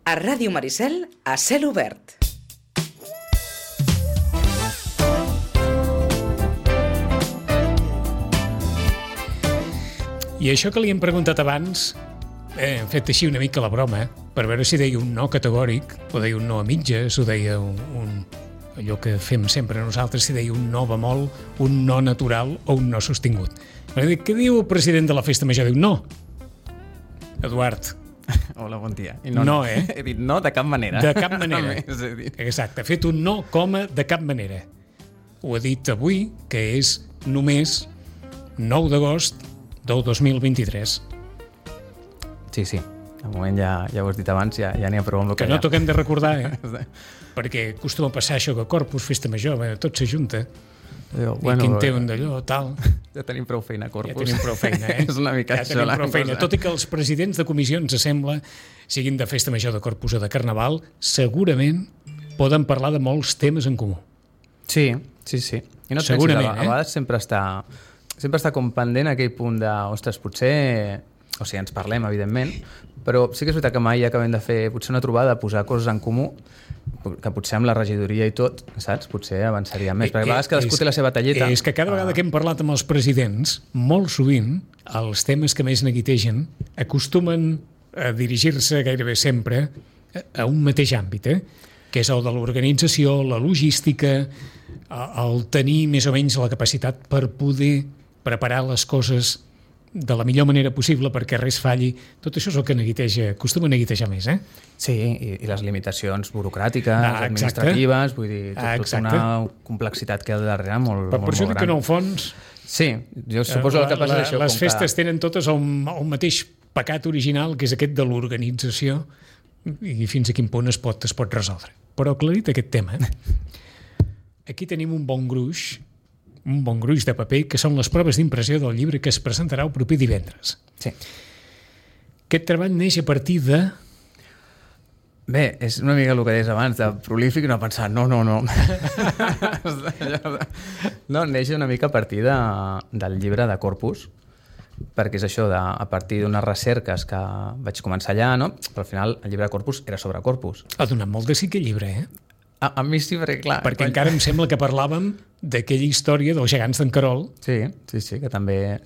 A Ràdio Maricel, a cel obert. I això que li hem preguntat abans, hem fet així una mica la broma, per veure si deia un no categòric, o deia un no a mitges, o deia allò que fem sempre nosaltres, si deia un no bemol, un no natural o un no sostingut. Què diu el president de la Festa Major? Diu no. Eduard. Hola, bon dia. No, eh? He dit no de cap manera. De cap manera. Exacte, ha fet un no, coma, de cap manera. Ho ha dit avui, que és només 9 d'agost del 2023. Sí. De moment ja ho has dit abans, ja n'hi ha prou amb el que no toquem de recordar, perquè acostuma a passar això que Corpus, Festa Major, tot s'ajunta. I quin té un d'allò, tal. Ja tenim prou feina, Corpus. Ja tenim prou feina, És una mica ja això. Tenim prou feina. Tot i que els presidents de comissions, sembla, siguin de Festa Major de Corpus o de Carnaval, segurament poden parlar de molts temes en comú. Sí. I no et pensis, a vegades sempre està com pendent aquell punt de, ostres, potser... O sigui, ens parlem, evidentment, però sí que és veritat que mai acabem de fer potser una trobada, posar coses en comú, que potser amb la regidoria i tot, saps? Potser avançaria més, perquè a vegades cadascú té la seva talleta. És que cada vegada que hem parlat amb els presidents, molt sovint, els temes que més neguitegen acostumen a dirigir-se gairebé sempre a un mateix àmbit, que és el de l'organització, la logística, el tenir més o menys la capacitat per poder preparar les coses de la millor manera possible perquè res falli. Tot això és el que acostuma a neguitejar més, Sí, i les limitacions burocràtiques, administratives, vull dir, tota una complexitat que hi ha darrere molt gran. Per això dic que en el fons... Sí, jo suposo que passa això. Les festes tenen totes el mateix pecat original, que és aquest de l'organització, i fins a quin punt es pot resoldre. Però aclarit aquest tema, aquí tenim un bon gruix de paper, que són les proves d'impressió del llibre que es presentarà el proper divendres. Sí. Aquest treball neix a partir de... Bé, és una mica el que deies abans, de prolífic, no pensar, no. No, neix una mica a partir del llibre de Corpus, perquè és això, a partir d'unes recerques que vaig començar allà, no? Però al final el llibre de Corpus era sobre Corpus. Ha donat molt de sí aquest llibre, A mi sí, perquè clar... Perquè encara em sembla que parlàvem d'aquella història dels gegants d'en Querol. Sí, que també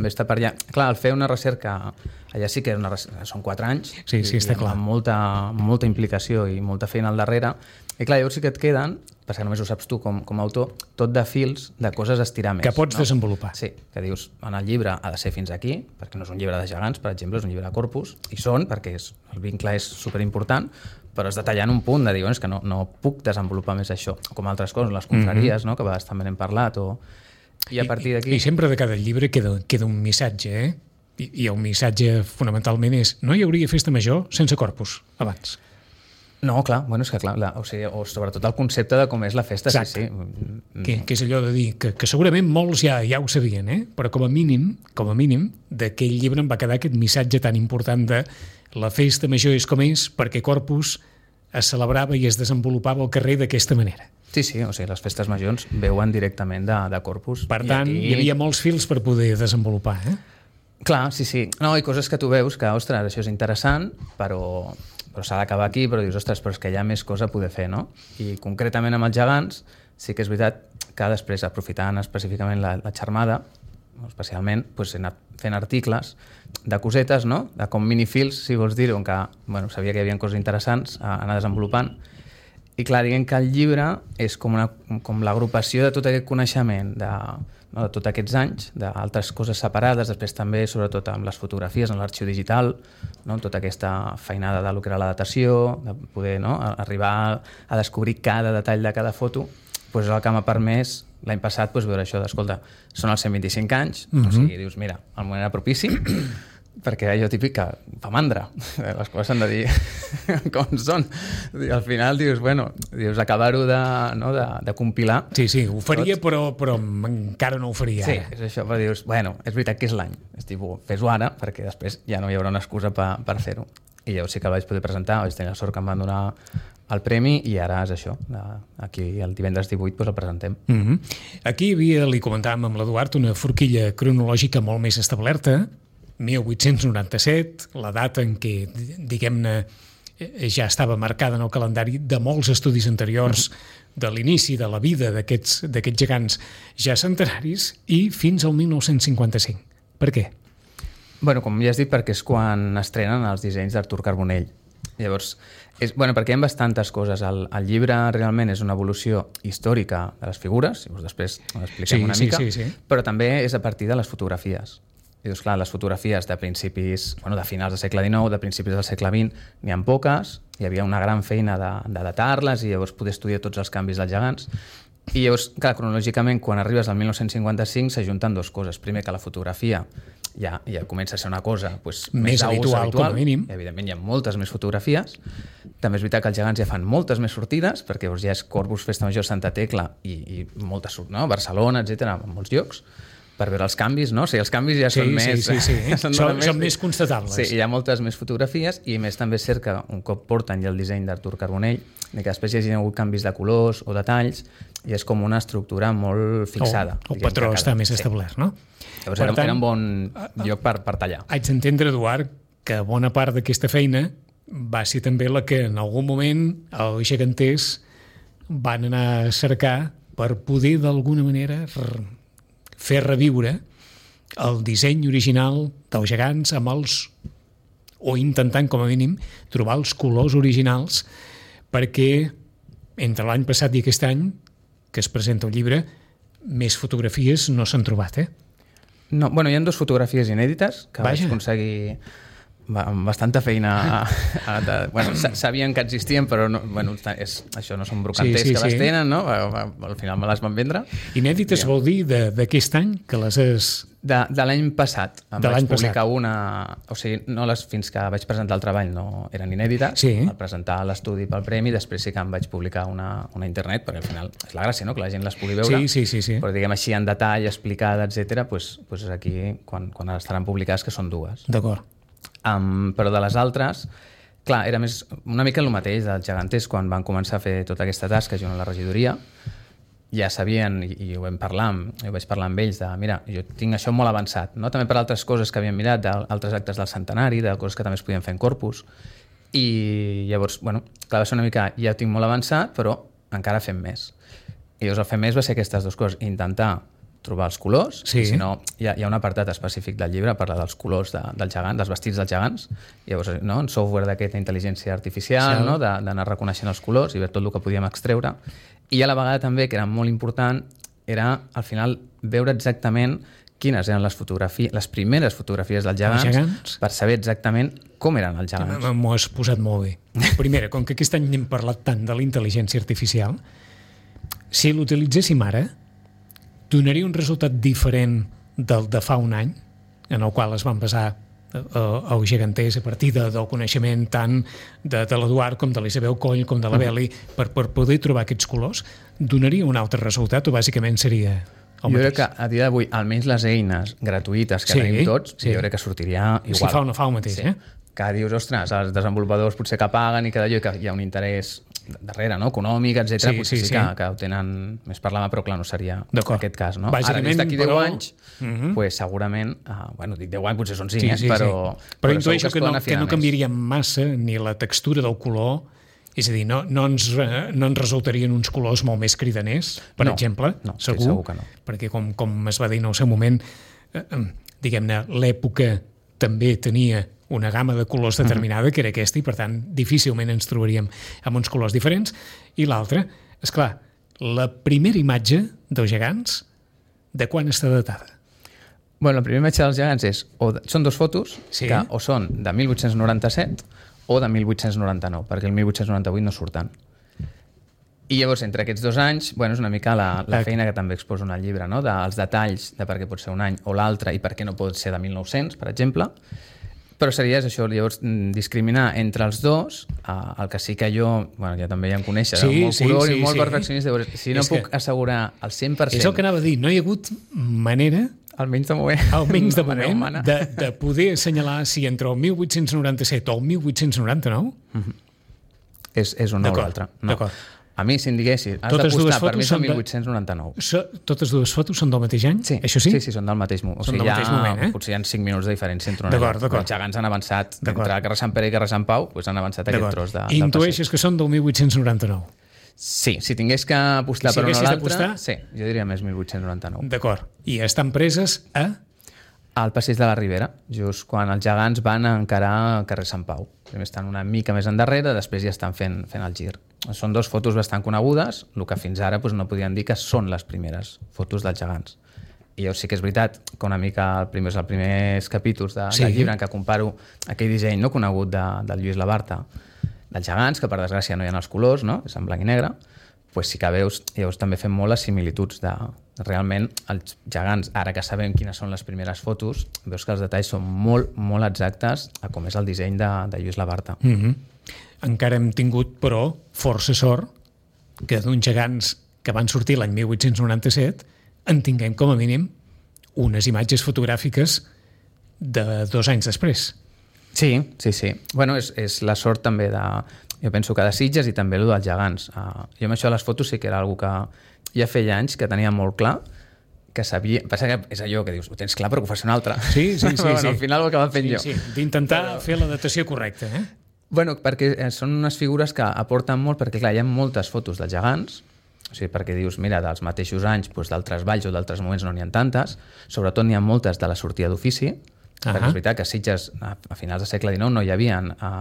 està per allà. Clar, al fer una recerca, allà sí que són 4 anys. Sí, està clar. Amb molta implicació i molta feina al darrere. I clar, llavors sí que et queden, perquè només ho saps tu com a autor, tot de fils, de coses a estirar més. Que pots desenvolupar. Sí, que dius, en el llibre ha de ser fins aquí, perquè no és un llibre de gegants, per exemple, és un llibre de Corpus, i són, perquè el vincle és superimportant, però has de tallar en un punt de dir, és que no puc desenvolupar més això, com altres coses, les confraries, no? Que a vegades també n'hem parlat, i a partir d'aquí... I sempre de cada llibre queda un missatge, I el missatge fonamentalment és no hi hauria festa major sense Corpus abans. No, clar, és que clar, o sobretot el concepte de com és la festa. Exacte. Sí. Que és allò de dir que segurament molts ja ho sabien, però com a mínim, d'aquell llibre em va quedar aquest missatge tan important de la festa major és com és perquè Corpus es celebrava i es desenvolupava al carrer d'aquesta manera. Sí, o sigui, les festes majors veuen directament de Corpus. Per tant, hi havia molts fils per poder desenvolupar, Clar, sí. No, hi ha coses que tu veus que, ostres, això és interessant, però s'ha d'acabar aquí, però dius, ostres, però és que hi ha més cosa a poder fer, no? I concretament amb els gegants, sí que és veritat que després, aprofitant específicament la xarmada, especialment, he anat fent articles de cosetes, no? De com minifils, si vols dir-ho, on que sabia que hi havia coses interessants a anar desenvolupant. I clar, diguem que el llibre és com l'agrupació de tot aquest coneixement de tots aquests anys, d'altres coses separades, després també, sobretot amb les fotografies en l'arxiu digital, no? Tota aquesta feinada de lo que era la datació, de poder arribar a descobrir cada detall de cada foto, és el que m'ha permès l'any passat veure això d'escolta, són els 125 anys, o sigui, dius, mira, el moment era propici, perquè allò típic que fa mandra, les coses s'han de dir com són. Al final dius, acabar-ho de compilar. Sí, ho faria, però encara no ho faria ara. Sí, és això, però dius, és veritat que és l'any, és tipus, fes-ho ara, perquè després ja no hi haurà una excusa per fer-ho. I llavors sí que el vaig poder presentar, vaig tenir la sort que em van donar el premi i ara és això, aquí el divendres 18 el presentem. Aquí li comentàvem amb l'Eduard una forquilla cronològica molt més establerta, 1897, la data en què, diguem-ne, ja estava marcada en el calendari de molts estudis anteriors, de l'inici de la vida d'aquests gegants ja centenaris i fins al 1955. Per què? Bueno, com ja has dit, perquè és quan estrenen els dissenys d'Artur Carbonell. Llavors, perquè hi ha bastantes coses. El llibre realment és una evolució històrica de les figures, llavors després l'expliquem una mica, però també és a partir de les fotografies. I doncs, clar, les fotografies de principis, de finals del segle XIX, de principis del segle XX, n'hi ha poques, hi havia una gran feina de datar-les i llavors poder estudiar tots els canvis dels gegants. I llavors, clar, cronològicament, quan arribes al 1955 s'ajunten dues coses. Primer, que la fotografia ja comença a ser una cosa més habitual, com a mínim. Evidentment, hi ha moltes més fotografies. També és veritat que els gegants ja fan moltes més sortides, perquè ja és Corpus, Festa Major, Santa Tecla i moltes, Barcelona, etc., en molts llocs, per veure els canvis, no? O sigui, els canvis ja són més... Són més constatables. Sí, hi ha moltes més fotografies i més també és cert que un cop porten ja el disseny d'Artur Carbonell, que després hi hagi hagut canvis de colors o detalls, i és com una estructura molt fixada. El patró està més establert, no? Llavors era un bon lloc per tallar. Haig d'entendre, Eduard, que bona part d'aquesta feina va ser també la que en algun moment els geganters van anar a cercar per poder d'alguna manera fer reviure el disseny original dels gegants amb o intentant com a mínim trobar els colors originals, perquè entre l'any passat i aquest any que es presenta el llibre més fotografies no s'han trobat, No, hi ha 2 fotografies inèdites que vaig aconseguir amb bastanta feina. Sabien que existien, però això no són brocanters que les tenen, no? Al final me les van vendre. Inèdites vol dir d'aquest any que les has... De l'any passat. Vaig publicar una... O sigui, fins que vaig presentar el treball no eren inèdites. Al presentar l'estudi pel premi, després sí que em vaig publicar una a internet, perquè al final és la gràcia, no?, que la gent les pugui veure. Sí. Però diguem així, en detall, explicada, etc., és aquí quan estaran publicades, que són 2. D'acord. Però de les altres, clar, era més una mica el mateix dels geganters quan van començar a fer tota aquesta tasca junt a la regidoria. Ja sabien, i ho vaig parlar amb ells, de mira, jo tinc això molt avançat, no? També per altres coses que havien mirat, d'altres actes del centenari, de coses que també es podien fer en Corpus, i llavors, clar, va ser una mica, ja ho tinc molt avançat, però encara fem més. I llavors el fem més va ser aquestes 2 coses, intentar trobar els colors, i si no, hi ha un apartat específic del llibre, parla dels colors del gegant, dels vestits dels gegants, i llavors, en software d'aquesta intel·ligència artificial, d'anar reconeixent els colors i veure tot el que podíem extreure. I a la vegada també, que era molt important, era al final veure exactament quines eren les primeres fotografies dels gegants per saber exactament com eren els gegants. M'ho has posat molt bé. Primera, com que aquest any n'hem parlat tant de la intel·ligència artificial, si l'utilitzéssim ara, donaria un resultat diferent del de fa un any, en el qual es van basar els geganters a partir del coneixement tant de l'Eduard com de l'Isabel Coll com de la Beli per poder trobar aquests colors, donaria un altre resultat o bàsicament seria el mateix? Jo crec que a dia d'avui, almenys les eines gratuïtes que tenim tots, jo crec que sortiria igual. Si fa o no fa el mateix, Que dius, ostres, els desenvolupadors potser que paguen i que d'allò que hi ha un interès darrere, no?, econòmic, etc. Potser sí que ho tenen més per la mà, però clar, no seria aquest cas, no? Ara, des d'aquí 10 anys, segurament, dic 10 anys, potser són 5, però intueixo que no canviaria massa ni la textura del color, és a dir, no ens resultarien uns colors molt més cridaners, per exemple, segur que no. Perquè com es va dir en el seu moment, diguem-ne, l'època també tenia una gamma de colors determinada, que era aquesta, i per tant difícilment ens trobaríem amb uns colors diferents. I l'altra, esclar, la primera imatge dels gegants, de quan està datada? La primera imatge dels gegants són 2 fotos que o són de 1897 o de 1899, perquè el 1898 no surten. I llavors, entre aquests 2 anys, és una mica la feina que també exposo en el llibre, no?, dels detalls de per què pot ser un any o l'altre i per què no pot ser de 1900, per exemple. Però seria això, llavors, discriminar entre els 2, el que sí que jo, ja també ja em coneixes, molt color i molt perfeccionista, si no puc assegurar al 100%... És el que anava a dir, no hi ha hagut manera, almenys de moment, de poder assenyalar si entre el 1897 o el 1899... És un o l'altre. D'acord. A mi, si em diguessis, has Totes dues d'apostar, per fotos mi són són de- 1899. Totes dues fotos són del mateix any? Sí, Això sí? Sí, són del mateix moment. Són del mateix moment, eh? Potser hi ha 5 minuts de diferència entre una i D'acord, l'altra. d'acord. Els gegants han avançat, D'acord. entre Carrer Sant Pere i Carrer Sant Pau, doncs han avançat aquest D'acord. tros del passeig. Intueixes que són del 1899. Sí, si tingués que apostar Si per una o haguessis l'altra, d'apostar? sí, jo diria més 1899. D'acord. I estan preses a... Al passeig de la Ribera, just quan els gegants van a encarar el carrer Sant Pau. Primer estan una mica més endarrere, després ja estan fent el gir. Són dos fotos bastant conegudes, el que fins ara no podien dir que són les primeres fotos dels gegants. I jo sí que és veritat que una mica els primers capítols del llibre en què comparo aquell disseny no conegut del Lluís Labarta, dels gegants, que per desgràcia no hi ha els colors, no? És en blanc i negre, pues sí que veus, llavors també fem molt les similituds de realment els gegants, ara que sabem quines són les primeres fotos, veus que els detalls són molt, molt exactes a com és el disseny de Lluís Labarta. Encara hem tingut, però, força sort que d'uns gegants que van sortir l'any 1897 en tinguem, com a mínim, unes imatges fotogràfiques de 2 anys després. Sí. Bueno, és la sort també de... Jo penso que de Sitges i també el dels gegants. Jo amb això de les fotos sí que era una cosa que ja feia anys que tenia molt clar, que sabia... Passa que és allò que dius, ho tens clar però que ho fas una altra. Sí. Bueno, al final ho acaba fent jo. Sí, d'intentar fer la datació correcta, eh? Bueno, perquè són unes figures que aporten molt, perquè clar, hi ha moltes fotos dels gegants, o sigui, perquè dius, mira, dels mateixos anys, doncs, d'altres valls o d'altres moments no n'hi ha tantes, sobretot n'hi ha moltes de la sortida d'ofici, perquè és veritat que a Sitges, a finals del segle XIX, no hi havia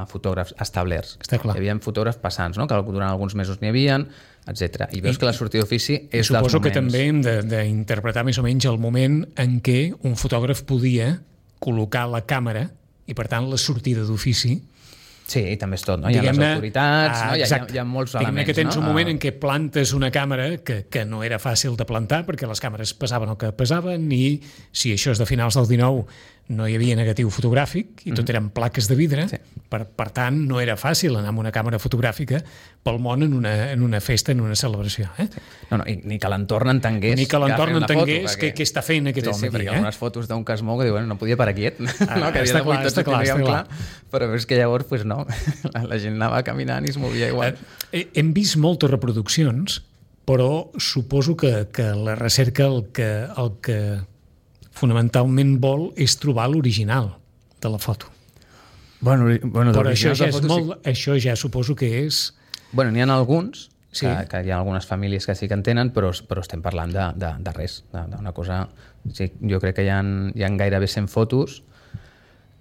fotògrafs establerts. Està clar. Hi havia fotògrafs passants, no? Que durant alguns mesos n'hi havia, etc. I veus que la sortida d'ofici és dels moments... Suposo que també hem d'interpretar més o menys el moment en què un fotògraf podia col·locar la càmera i, per tant, la sortida d'ofici. Sí, i també és tot, no? Hi ha les autoritats, no? Hi ha molts elements, que tens no? un moment en què plantes una càmera que no era fàcil de plantar perquè les càmeres pesaven el que pesaven i si això és de finals del 19 no hi havia negatiu fotogràfic i tot eren plaques de vidre, per tant no era fàcil anar amb una càmera fotogràfica pel món en una festa, en una celebració. No, ni que l'entorn entengués ni que l'entorn entengués què està fent aquest home aquí. Perquè hi ha unes fotos d'un que es mou que diuen no podia parar quiet, no? Que està clar. Però és que llavors pues no, la gent anava caminant i es movia igual. Hem vist moltes reproduccions, però suposo que la recerca el que fonamentalment vol és trobar l'original de la foto. Bueno, però això ja suposo que és... Bueno, n'hi ha alguns, que hi ha algunes famílies que sí que en tenen, però estem parlant de res, d'una cosa... Sí, jo crec que hi ha gairebé 100 fotos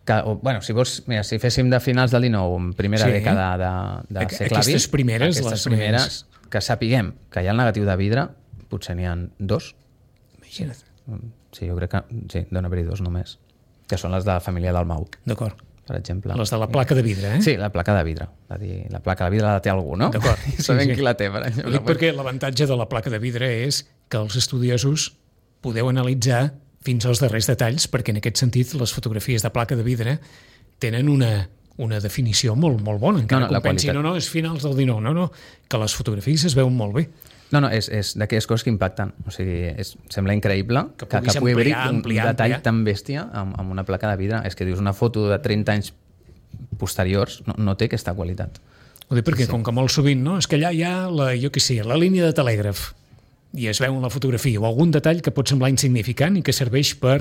que, bueno, si vols, mira, si féssim de finals del 19, primera dècada de segle XX, aquestes primeres, que sapiguem que hi ha el negatiu de vidre, potser n'hi ha 2. Imagina't. Sí, jo crec que sí, deu haver-hi 2 només, que són les de la família Dalmau. D'acord. Per exemple. Les de la placa de vidre, Sí, la placa de vidre. És a dir, la placa de vidre la té algú, no? D'acord. Sabem qui la té, per exemple. Ho dic perquè l'avantatge de la placa de vidre és que els estudiosos podeu analitzar fins als darrers detalls, perquè en aquest sentit les fotografies de placa de vidre tenen una definició molt, molt bona, encara que pensi, no, és finals del 19, no, que les fotografies es veuen molt bé. No, és d'aquelles coses que impacten. O sigui, sembla increïble que pugui haver-hi un detall tan bèstia amb una placa de vidre. És que dius, una foto de 30 anys posteriors no té aquesta qualitat. Ho dic perquè, com que molt sovint, no? És que allà hi ha la línia de telègraf i es veu en la fotografia o algun detall que pot semblar insignificant i que serveix per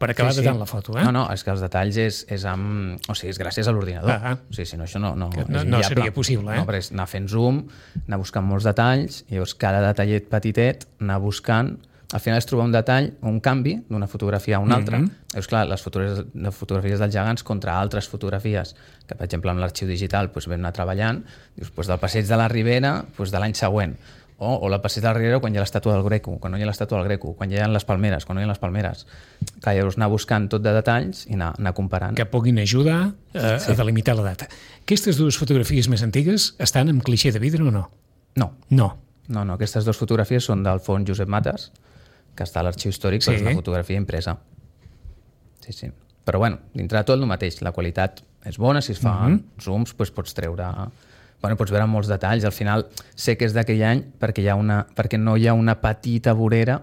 acabar datant la foto. No, és que els detalls és gràcies a l'ordinador. O sigui, si no, això no seria possible. No, perquè anar fent zoom, anar buscant molts detalls, i llavors cada detallet petitet, anar buscant... Al final és trobar un detall, un canvi d'una fotografia a una altra. Llavors, clar, les fotografies dels gegants contra altres fotografies, que per exemple amb l'arxiu digital vam anar treballant, dius, del passeig de la Ribera de l'any següent, o la passeig de la Ribera quan hi ha l'estàtua del Greco, quan no hi ha l'estàtua del Greco, quan hi ha les palmeres, quan no hi ha les palmeres. Clar, llavors anar buscant tot de detalls i anar comparant. Que puguin ajudar a delimitar la data. Aquestes dues fotografies més antigues estan amb clixé de vidre o no? No, aquestes dues fotografies són del fons Josep Mates, que està a l'arxiu històric, però és una fotografia impresa. Sí. Però bueno, dintre de tot el mateix, la qualitat és bona, si es fan zooms pots treure... Bueno, pots veure molts detalls. Al final sé que és d'aquell any perquè no hi ha una petita vorera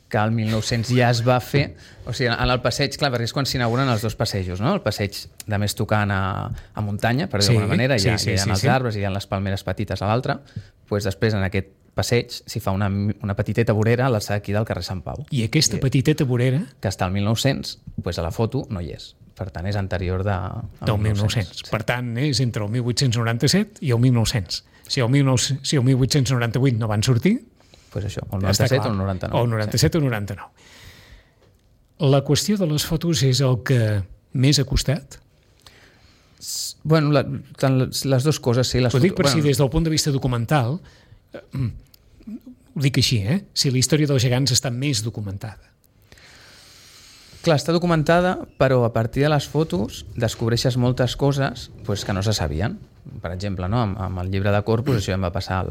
que al 1900 ja es va fer, o sigui, en el passeig, clar, perquè és quan s'inauguren els dos passejos, no? El passeig de més tocant a muntanya, per dir d'alguna manera, hi ha els arbres i hi ha les palmeres petites a l'altre, doncs després en aquest passeig s'hi fa una petiteta vorera a l'alçada aquí del carrer Sant Pau. I aquesta petiteta vorera... Que està al 1900, doncs a la foto no hi és. Per tant, és anterior del 1900. Sí. Per tant, és entre el 1897 i el 1900. Si el 1898 no van sortir... Pues això, el 97 o el 99. O el 97 o el 99. La qüestió de les fotos és el que més ha costat? Bueno, les dues coses, sí. Ho dic per si des del punt de vista documental, ho dic així, si la història dels gegants està més documentada. Clar, està documentada, però a partir de les fotos descobreixes moltes coses pues, que no se sabien. Per exemple, no? Amb el llibre de Corpus això em va passar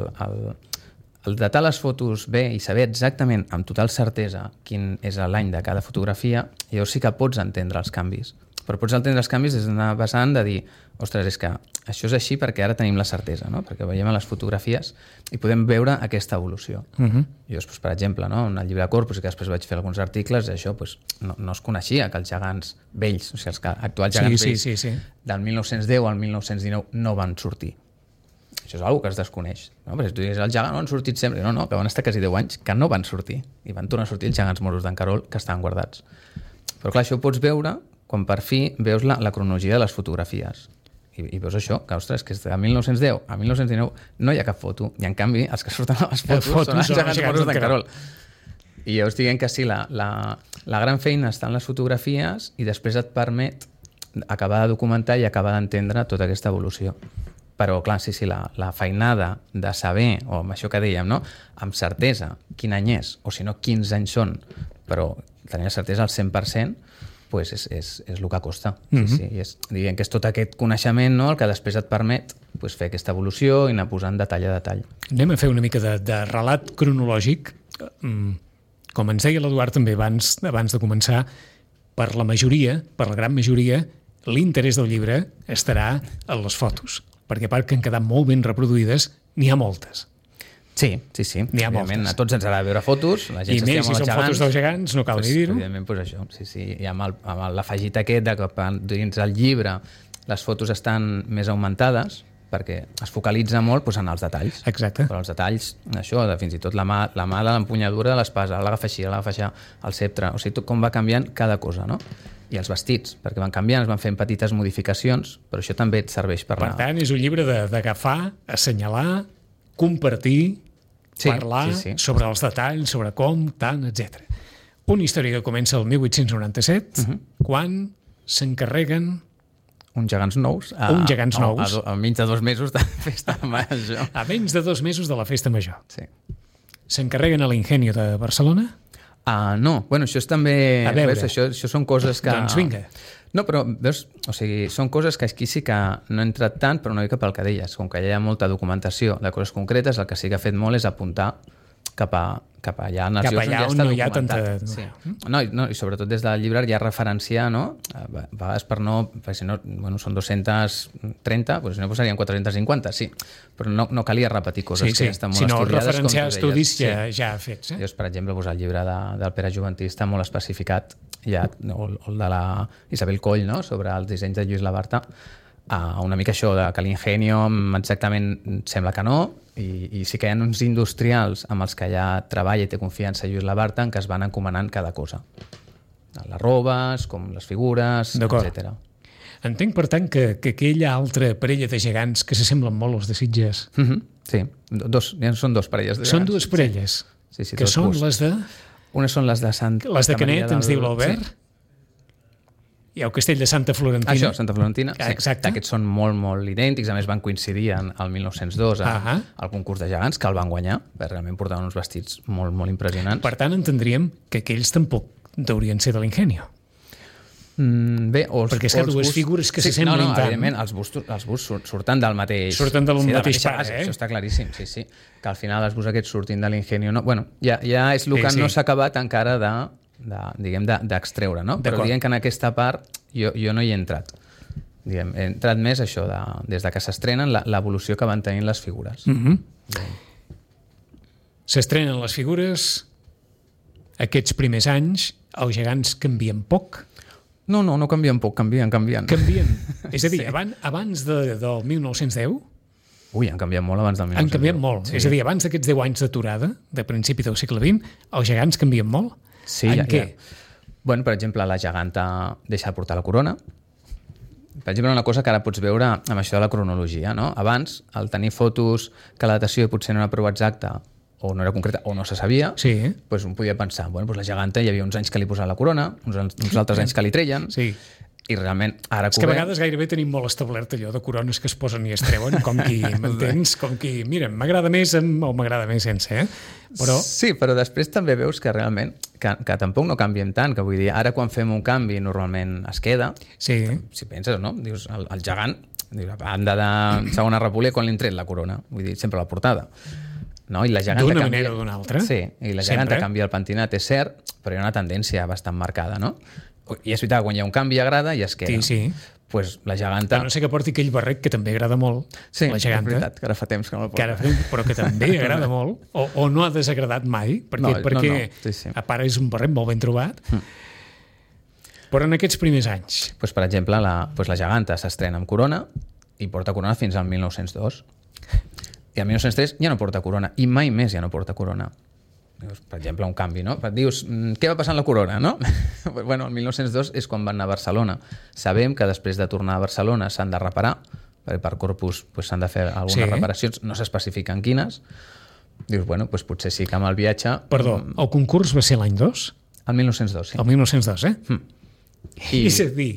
el datar les fotos bé i saber exactament, amb total certesa, quin és l'any de cada fotografia, llavors sí que pots entendre els canvis. Però pots entendre els canvis des d'una vessant de dir, ostres, és que això és així perquè ara tenim la certesa, no? Perquè veiem a les fotografies i podem veure aquesta evolució. Llavors, per exemple, no? En el llibre de Corpus, que després vaig fer alguns articles, això no es coneixia que els gegants vells, o sigui, els actuals gegants vells del 1910 al 1919 no van sortir. Això és una cosa que es desconeix. No? Perquè si tu digues, els gegants no han sortit sempre. No, que van estar quasi 10 anys que no van sortir. I van tornar a sortir els gegants moros d'en Carol que estaven guardats. Però clar, això ho pots veure quan per fi veus la cronologia de les fotografies. I veus això, que ostres, que de 1910 a 1919 no hi ha cap foto. I en canvi, els que surten a les fotos són els gegants moros d'en Carol. I llavors diguem que sí, la gran feina està en les fotografies i després et permet acabar de documentar i acabar d'entendre tota aquesta evolució. Però, clar, sí, la feinada de saber, o amb això que dèiem, no? Amb certesa quin any és, o si no, quins anys són, però tenir la certesa al 100%, pues és el que costa. Sí, diguem que és tot aquest coneixement, no? El que després et permet pues, fer aquesta evolució i anar posant detall a detall. Anem a fer una mica de relat cronològic. Com ens deia l'Eduard també abans de començar, per la gran majoria, l'interès del llibre estarà en les fotos. Perquè a part que han quedat molt ben reproduïdes, n'hi ha moltes. Sí. N'hi ha moltes. A tots ens agrada veure fotos. La gent I més, si són fotos dels gegants, no cal ni dir-ho. Evidentment, pues això. Sí. I amb l'afegit aquest de que dins el llibre les fotos estan més augmentades, perquè es focalitza molt en els detalls. Exacte. Però els detalls, això, fins i tot la mà de l'empunyadura de l'espasa, l'agafa així, el ceptre, o sigui, tot com va canviant cada cosa, no? I els vestits, perquè van canviant, es van fent petites modificacions, però això també et serveix per tant, és un llibre d'agafar, assenyalar, compartir, parlar sobre els detalls, sobre com, tant, etc. Una història que comença el 1897, quan s'encarreguen uns gegants nous. A menys de 2 mesos de festa major. A menys de 2 mesos de la festa major. Sí. S'encarreguen a l'Ingenio de Barcelona? No, bueno, això és també... A veure, veus, això són coses que... Doncs vinga. No, però veus, o sigui, són coses que aquí sí que no he entrat tant, però una mica pel que deies. Com que hi ha molta documentació de coses concretes, el que sí que ha fet molt és apuntar cap allà en els llocs on ja està documentat. Sí. No, i sobretot des del llibre ja referenciar, no? A vegades perquè si no, bueno, són 230, doncs si no posaríem 450, sí. Però no calia repetir coses que ja estan molt estudiades. Si no, referenciar estudis ja fets. Llavors, per exemple, el llibre del Pere Juventí està molt especificat, o el de la Isabel Coll, no? Sobre els dissenys de Lluís Labarta, una mica això de que l'Ingenio exactament sembla que no, i sí que hi ha uns industrials amb els que ja treballa i té confiança Lluís Labarta en què es van encomanant cada cosa. Les robes, com les figures, etc. Entenc, per tant, que aquella altra parella de gegants que s'assemblen molt als de Sitges... Sí, són 2 parelles de gegants. Són 2 parelles, que són les de... Unes són les de Les de Canet, ens diu l'Albert. Hi ha el castell de Santa Florentina. Això, Santa Florentina. Exacte. Aquests són molt, molt idèntics. A més, van coincidir al 1902 al concurs de gegants, que el van guanyar. Realment portaven uns vestits molt, molt impressionants. Per tant, entendríem que aquells tampoc deurien ser de l'Ingenio. Bé, perquè és que 2 figures que s'assemblen tant. Evidentment, els busts surten del mateix... Surten del mateix pare, Això està claríssim, sí. Que al final els busts aquests surtin de l'Ingenio... No, bueno, ja és el que no s'ha acabat encara d'extreure, no? Però diguem que en aquesta part jo no hi he entrat. He entrat més això, des de que s'estrenen, l'evolució que van tenint les figures. S'estrenen les figures, aquests primers anys els gegants canvien poc. No canvien poc, canvien. Canvien. És a dir, abans del 1910... Ui, han canviat molt abans del 1910. Han canviat molt. Sí. És a dir, abans d'aquests 10 anys d'aturada, de principi del segle XX, els gegants canvien molt? Sí, en què? Bueno, per exemple, la geganta deixa de portar la corona. Per exemple, una cosa que ara pots veure amb això de la cronologia, no? Abans, al tenir fotos que la datació potser no era prou exacta o no era concreta o no se sabia, doncs un podia pensar, bueno, doncs la geganta hi havia uns anys que li posaven la corona, uns altres anys que li treien, i realment ara és que a vegades gairebé tenim molt establert allò de corones que es posen i es treuen, com qui, m'entens? Com qui, mira, m'agrada més o m'agrada més sense, Però... Sí, però després també veus que realment que tampoc no canviem tant, que vull dir, ara quan fem un canvi normalment es queda. Sí. Si penses, no? Dius, el gegant, a banda de Segona República, quan li han tret la corona? Vull dir, sempre la portada. No? I la geganta d'una manera o d'una altra. Sí, i la geganta canvia el pentinat, és cert, però hi ha una tendència bastant marcada, no? I és veritat, quan hi ha un canvi agrada i es queda. Sí. Pues la geganta... No sé que porti aquell barret que també agrada molt, la geganta. Sí, és veritat, que ara fa temps que no el porta. Però que també agrada molt, o no ha desagradat mai, perquè a part és un barret molt ben trobat. Però en aquests primers anys... Pues, per exemple, la geganta s'estrena amb corona i porta corona fins al 1902. I al 1903 ja no porta corona, i mai més ja no porta corona. Per exemple, un canvi, no? Dius, què va passar amb la corona, no? Bueno, el 1902 és quan van anar a Barcelona. Sabem que després de tornar a Barcelona s'han de reparar, perquè per corpus s'han de fer algunes reparacions, no s'especifiquen quines. Dius, bueno, potser sí que amb el viatge... Perdó, el concurs va ser l'any 2? El 1902, sí. El 1902, És a dir,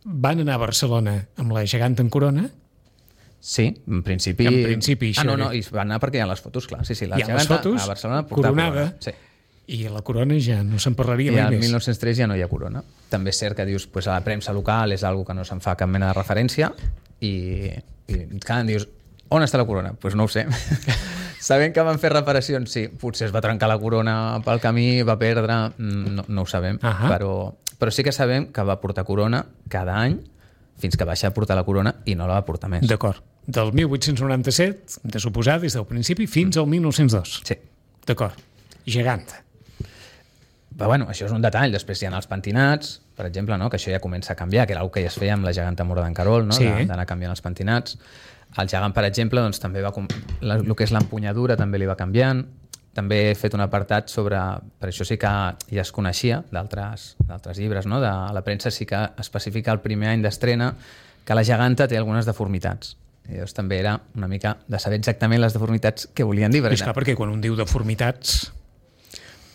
van anar a Barcelona amb la geganta en corona. Sí, en principi... No, i van anar perquè hi ha les fotos, clar. Sí, la geganta a Barcelona coronada, sí. I la corona ja no se'n parlaria mai més. I al 1903 ja no hi ha corona. També és cert que dius, a la premsa local és algo que no se'n fa cap mena de referència i clar, dius, on està la corona? Doncs no ho sé. Sabem que van fer reparacions, sí. Potser es va trencar la corona pel camí, va perdre, no ho sabem, però sí que sabem que va portar corona cada any fins que va deixar de portar la corona i no la va portar més. D'acord. Del 1897, de suposar, des del principi, fins al 1902. Sí. D'acord. Geganta. Però bueno, això és un detall. Després hi ha els pentinats, per exemple, no? Que això ja comença a canviar, que era el que ja es feia amb la geganta Mora d'en Carol, no? D'anar canviant els pentinats. El gegant, per exemple, doncs, també va... El que és l'empunyadura també li va canviant. També he fet un apartat sobre... Per això sí que ja es coneixia d'altres llibres, no? De la premsa sí que especifica el primer any d'estrena que la geganta té algunes deformitats. I llavors també era una mica de saber exactament les deformitats que volien dir. És clar, perquè quan un diu deformitats...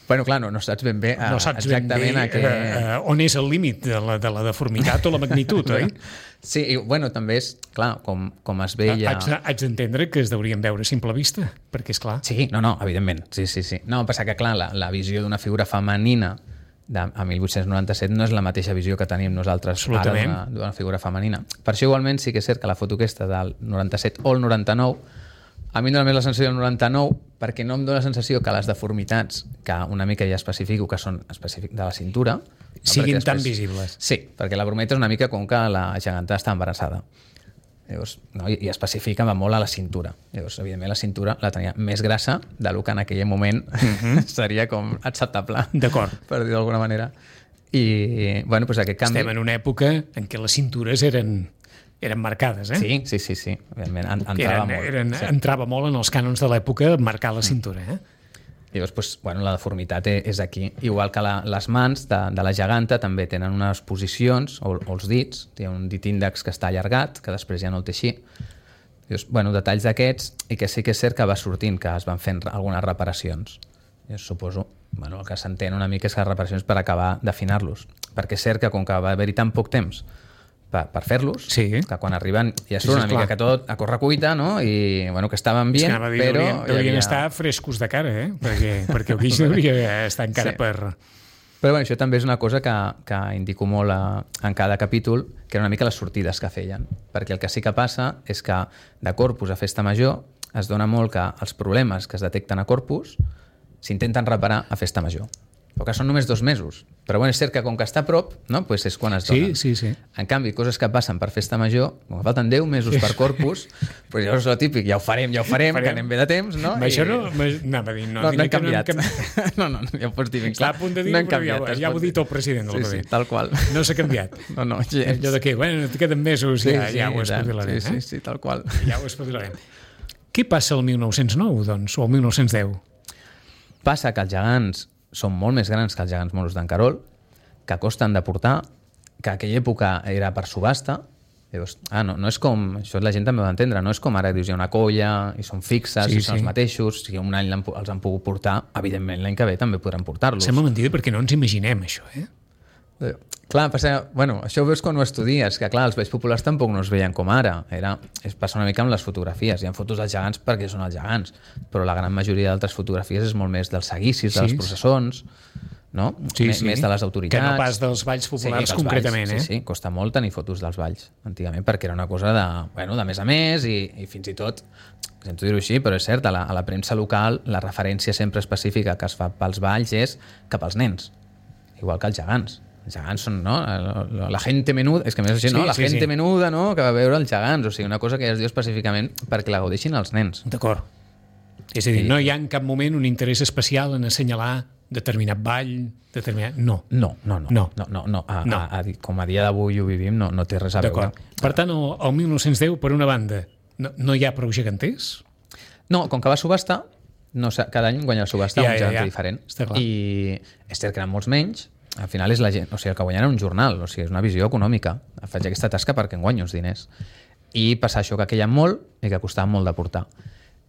Bueno, clar, no saps ben bé exactament on és el límit de la deformitat o la magnitud, oi? Sí, i bueno, també és, clar, com es veia... Haig d'entendre que es deurien veure a simple vista, perquè és clar... Sí, no, evidentment, sí. No, passa que, clar, la visió d'una figura femenina a 1897 no és la mateixa visió que tenim nosaltres ara d'una figura femenina. Per això, igualment, sí que és cert que la foto aquesta del 97 o el 99 a mi em dóna més la sensació del 99 perquè no em dóna la sensació que les deformitats, que una mica ja especifico que són específics de la cintura... Siguin tan visibles. Sí, perquè la brometa és una mica com que la geganta està embarassada. Llavors, i especifica molt a la cintura. Llavors, evidentment, la cintura la tenia més grassa del que en aquell moment seria com acceptable. D'acord. Per dir d'alguna manera. I, bueno, doncs aquest canvi... Estem en una època en què les cintures eren marcades, Sí. Evidentment, entrava molt en els cànons de l'època marcar la cintura, Llavors, doncs, la deformitat és aquí. Igual que les mans de la geganta també tenen unes posicions, o els dits, té un dit índex que està allargat, que després ja no el té així. Llavors, detalls d'aquests, i que sí que és cert que va sortint, que es van fent algunes reparacions. Llavors, suposo, el que s'entén una mica és que les reparacions per acabar d'afinar-los. Perquè és cert que com que va haver-hi tan poc temps per fer-los, que quan arriben ja surt una mica que tot a correcuita, no? I que estaven bé, però... Deurien estar frescos de cara, perquè el guix hauria estar encara per... Però això també és una cosa que indico molt en cada capítol, que era una mica les sortides que feien. Perquè el que sí que passa és que de Corpus a Festa Major es dona molt que els problemes que es detecten a Corpus s'intenten reparar a Festa Major. però que són només 2 mesos. Però bueno, és cert que com que està a prop, no? Pues és quan es donen. Sí. En canvi, coses que passen per festa major, com que falten 10 mesos per Corpus, pues llavors és el típic, ja ho farem, que anem bé de temps, no? Això anava a dir, no hem canviat. No, ja ho pots dir ben clar. Està a punt de dir, però ja ho ha dit el president. Sí, tal qual. No s'ha canviat. No, gens. Allò de que, bueno, queden mesos, ja ho espavilarem. Sí, tal qual. Ja ho espavilarem. Què passa el 1909, doncs, o el 1910? Passa que els gegants són molt més grans que els gegants moros d'en Carol, que costen de portar, que aquella època era per subhasta. Llavors, no és com... Això la gent també ho ha d'entendre. No és com ara, dius, hi ha una colla i són fixes i són els mateixos. Si un any els han pogut portar, evidentment l'any que ve també podran portar-los. Sembla mentida perquè no ens imaginem això, Clar, passa... Bueno, això ho veus quan ho estudies, que clar, els balls populars tampoc no es veien com ara. Passa una mica amb les fotografies. Hi ha fotos dels gegants perquè són els gegants, però la gran majoria d'altres fotografies és molt més dels seguicis, de les processons, no? Més de les autoritats. Que no pas dels balls populars concretament, balls, Sí, costa molt tenir fotos dels balls, antigament, perquè era una cosa de més a més i fins i tot, sento dir-ho així, però és cert, a la premsa local la referència sempre específica que es fa pels balls és cap als nens, igual que els gegants. Els gegants són, no? La gente menuda, és que a més així, no? La gente menuda, no? Que va veure els gegants, o sigui, una cosa que ja es diu específicament perquè la gaudeixin els nens. D'acord. És a dir, no hi ha en cap moment un interès especial en assenyalar determinat ball, determinat... No. No. Com a dia d'avui ho vivim, no té res a veure. Per tant, el 1910, per una banda, no hi ha prou geganters? No, com que va subhasta, cada any guanya la subhasta un geganter diferent. I és cert que eren molts menys. Al final és la gent, o sigui, el que guanyen era un jornal, o sigui, és una visió econòmica. Faig aquesta tasca perquè em guanyo uns diners. I passar això que queien molt i que costava molt de portar.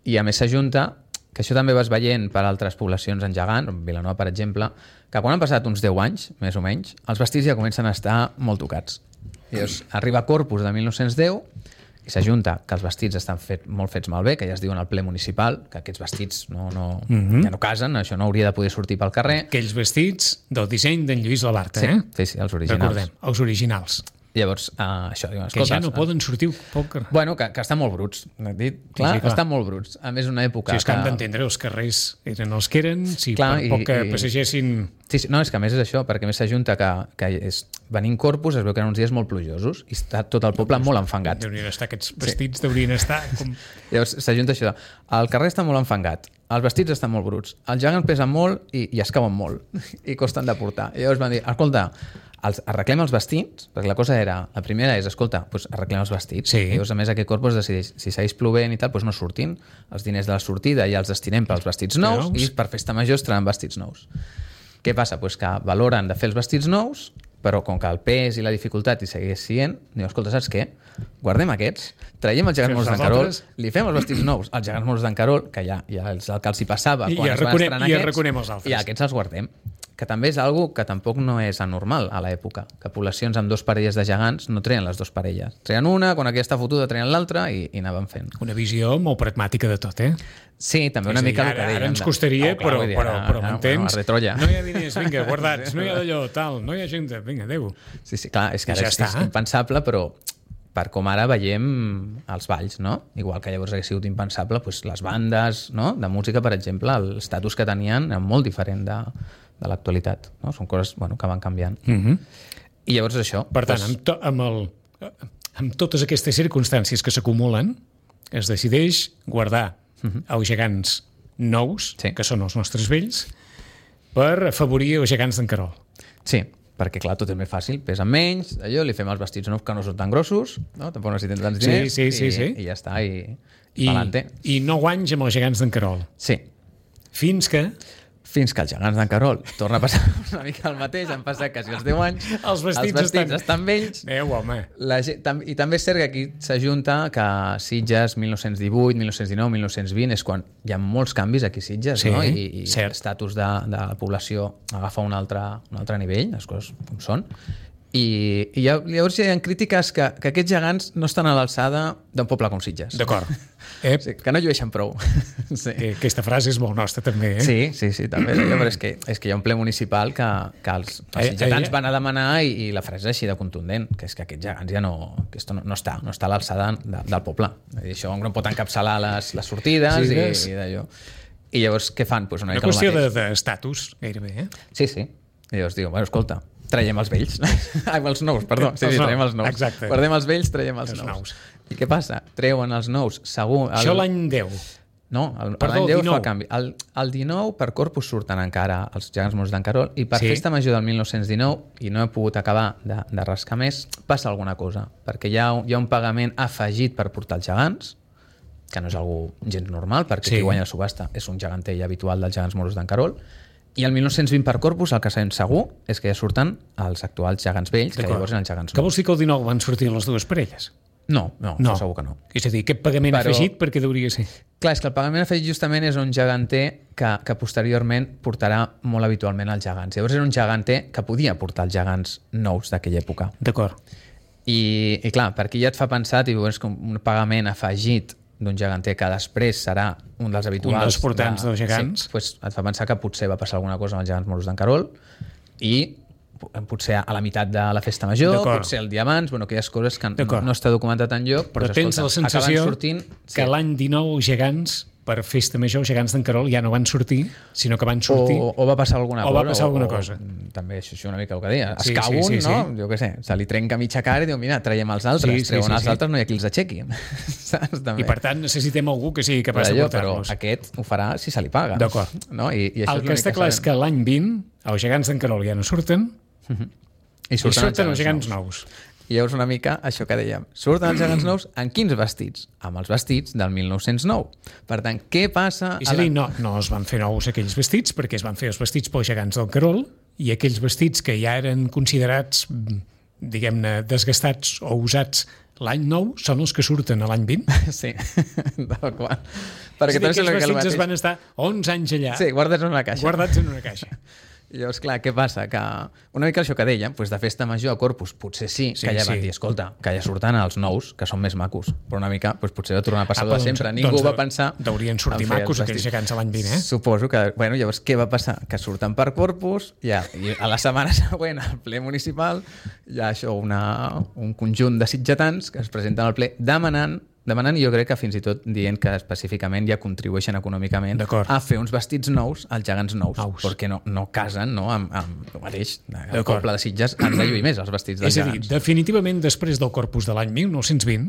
I a més s'ajunta, que això també vas veient per altres poblacions en gegant, Vilanova, per exemple, que quan han passat uns 10 anys, més o menys, els vestits ja comencen a estar molt tocats. I llavors arriba Corpus de 1910 i s'ajunta que els vestits estan molt fets malbé, que ja es diuen al ple municipal, que aquests vestits ja no casen, això no hauria de poder sortir pel carrer. Aquells vestits del disseny d'en Lluís Labarta, Sí, els originals. Recordem, els originals. Llavors, això, diuen, que ja no poden sortir poc... Bueno, que estan molt bruts. Clar, estan molt bruts. A més, una època... Sí, és que han d'entendre, els carrers eren els que eren, per poc que passegessin... Sí, no, és que a més és això, perquè més s'ajunta que venint Corpus es veu que eren uns dies molt plujosos i està tot el poble molt enfangat. Deurien estar aquests vestits, deurien estar... Llavors s'ajunta això. El carrer està molt enfangat, els vestits estan molt bruts, els gegants pesen molt i es cauen molt i costen de portar. I llavors van dir, escolta, arreglem els vestits, perquè la cosa era, la primera és, escolta, doncs arreglem els vestits. I llavors, a més, aquest Corpus decideix, si segueix plovent i tal, doncs no surtin. Els diners de la sortida ja els destinem pels vestits nous i per festa major es trauen vestits nous. Què passa? Doncs que valoren de fer els vestits nous, però com que el pes i la dificultat hi segueix sent, diu, escolta, saps què? Guardem aquests, traiem els gegants moros d'en Carol, li fem els vestits nous als gegants moros d'en Carol, que ja és el que els hi passava quan es van estrenar aquests, i aquests els guardem. Que també és algo que tampoc no és anormal a l'època, que poblacions amb 2 parelles de gegants no treien les 2 parelles. Treien una, quan aquella està fotuda treien l'altra i anaven fent. Una visió molt pragmàtica de tot, Sí, també una mica el que deien. Ara ens costaria, però m'entens? No hi ha diners, vinga, guardats, no hi ha d'allò, tal, no hi ha gent, vinga, adéu. Sí, clar, és que ara és impensable, però per com ara veiem els balls, no? Igual que llavors hagués sigut impensable, doncs les bandes, no? De música, per exemple, l'estatus que tenien era molt diferent de l'actualitat, no? Són coses que van canviant. I llavors això... Per tant, amb totes aquestes circumstàncies que s'acumulen, es decideix guardar els gegants nous, que són els nostres vells, per afavorir els gegants d'en Carol. Sí, perquè clar, tot és més fàcil, pesen menys, allò, li fem els vestits nous que no són tan grossos, no? Tampoc necessitem tants diners, i ja està, i pa'lante. I 9 anys amb els gegants d'en Carol. Sí. Fins que els gegants d'en Carol torna a passar una mica el mateix, han passat quasi els 10 anys, els vestits estan vells. Home. I també és cert que aquí s'ajunta que Sitges 1918, 1919, 1920 és quan hi ha molts canvis aquí a Sitges, no? I l'estatus de la població agafa un altre nivell, les coses com són. I llavors hi ha crítiques que aquests gegants no estan a l'alçada d'un poble com Sitges. D'acord. Sí, que no llueixen prou. Sí. Aquesta frase és molt nostra, també. Sí, també. Però és que hi ha un ple municipal que els sitgetans van a demanar i la frase és així de contundent, que és que aquests gegants ja no està a l'alçada del poble. Això no pot encapçalar les sortides i d'allò. I llavors què fan? Pues una Una mica el qüestió mateix. d'estatus, gairebé, eh? Sí, sí. I llavors diu, bueno, escolta, traiem els vells. Ai, els nous, perdó. Sí, Els nous, traiem els nous. exacte. Perdem els vells, traiem els Els nous. nous. I què passa? Treuen els nous, segur... Això l'any 10. No, Perdó, l'any 10 19. fa canvi. El 19 per Corpus surten encara els gegants morts d'en Carol i per Sí. Festa Major del 1919, i no he pogut acabar de rascar més, passa alguna cosa, perquè hi ha un pagament afegit per portar els gegants, que no és algo gens normal, perquè Sí. qui guanya la subhasta és un gegantell habitual dels gegants morts d'en Carol, i el 1920 per Corpus el que sabem segur és que ja surten els actuals gegants vells, que llavors eren els gegants Que nous. vols dir que el 19 van sortir les dues parelles? No, això segur que no. És a dir, aquest pagament Però- afegit per què hauria ser? Clar, és que el pagament afegit justament és un geganter que posteriorment portarà molt habitualment els gegants. Llavors era un geganter que podia portar els gegants nous d'aquella època. D'acord. I clar, per aquí ja et fa pensar, és com un pagament afegit d'un geganter que després serà un dels habituals. Un dels portants dels gegants. Sí, pues et fa pensar que potser va passar alguna cosa amb els gegants moros d'en Carol i potser a la meitat de la festa major, D'acord. potser el dia abans, bueno, aquelles coses que D'acord. no està documentat enlloc, Però doncs, tens la escolta, sensació acaben sortint... que l'any 19 gegants, per festa major, gegants d'en Carol ja no van sortir, sinó que van sortir... O va passar alguna O cosa. va passar alguna cosa. També això una mica el que deia. Es Sí, cau sí, un, sí, no? sí. Jo què sé, se li trenca mitja cara i diu, mira, traiem els altres. Sí, sí, Treuen sí, els sí. altres, no hi ha qui els aixequi. Saps? També. I per tant necessitem algú que sigui capaç de Però portar-los. aquest ho farà si se li paga. D'acord. No? I això El que està clar és que l'any 20 els gegants d'en Carol ja no surten I i surten els gegants nous. I llavors una mica això que dèiem. Surten els gegants nous en quins vestits? Amb els vestits del 1909. Per tant, què passa... És a dir, no es van fer nous aquells vestits perquè es van fer els vestits pels gegants del Carol i aquells vestits que ja eren considerats, diguem-ne, desgastats o usats l'any nou són els que surten a l'any 20. Sí, tal qual. És Perquè a dir, també aquells sembla que el vestits es mateix... van estar 11 anys allà Sí, guardats en una caixa. guardats en una caixa. I llavors, clar, què passa? Que una mica això que dèiem, doncs de festa major a Corpus, potser sí, Sí, que ja van sí. dir, escolta, que ja surten els nous, que són més macos, però una mica doncs, potser va tornar a passar de doncs- sempre. Ningú va pensar... Deurien sortir en fer macos els aquells vestits. gegants a l'any 20, eh? Suposo que... Bueno, llavors, què va passar? Que surten per Corpus, ja, i a la setmana següent, al ple municipal, hi ha això, un conjunt de sitgetans que es presenten al ple demanant i jo crec que fins i tot dient que específicament ja contribueixen econòmicament D'acord. a fer uns vestits nous als gegants nous, Nous. perquè no casen no, amb el mateix. El D'acord. poble de Sitges han de lluir més els vestits dels És a dir, gegants. definitivament després del Corpus de l'any 1920,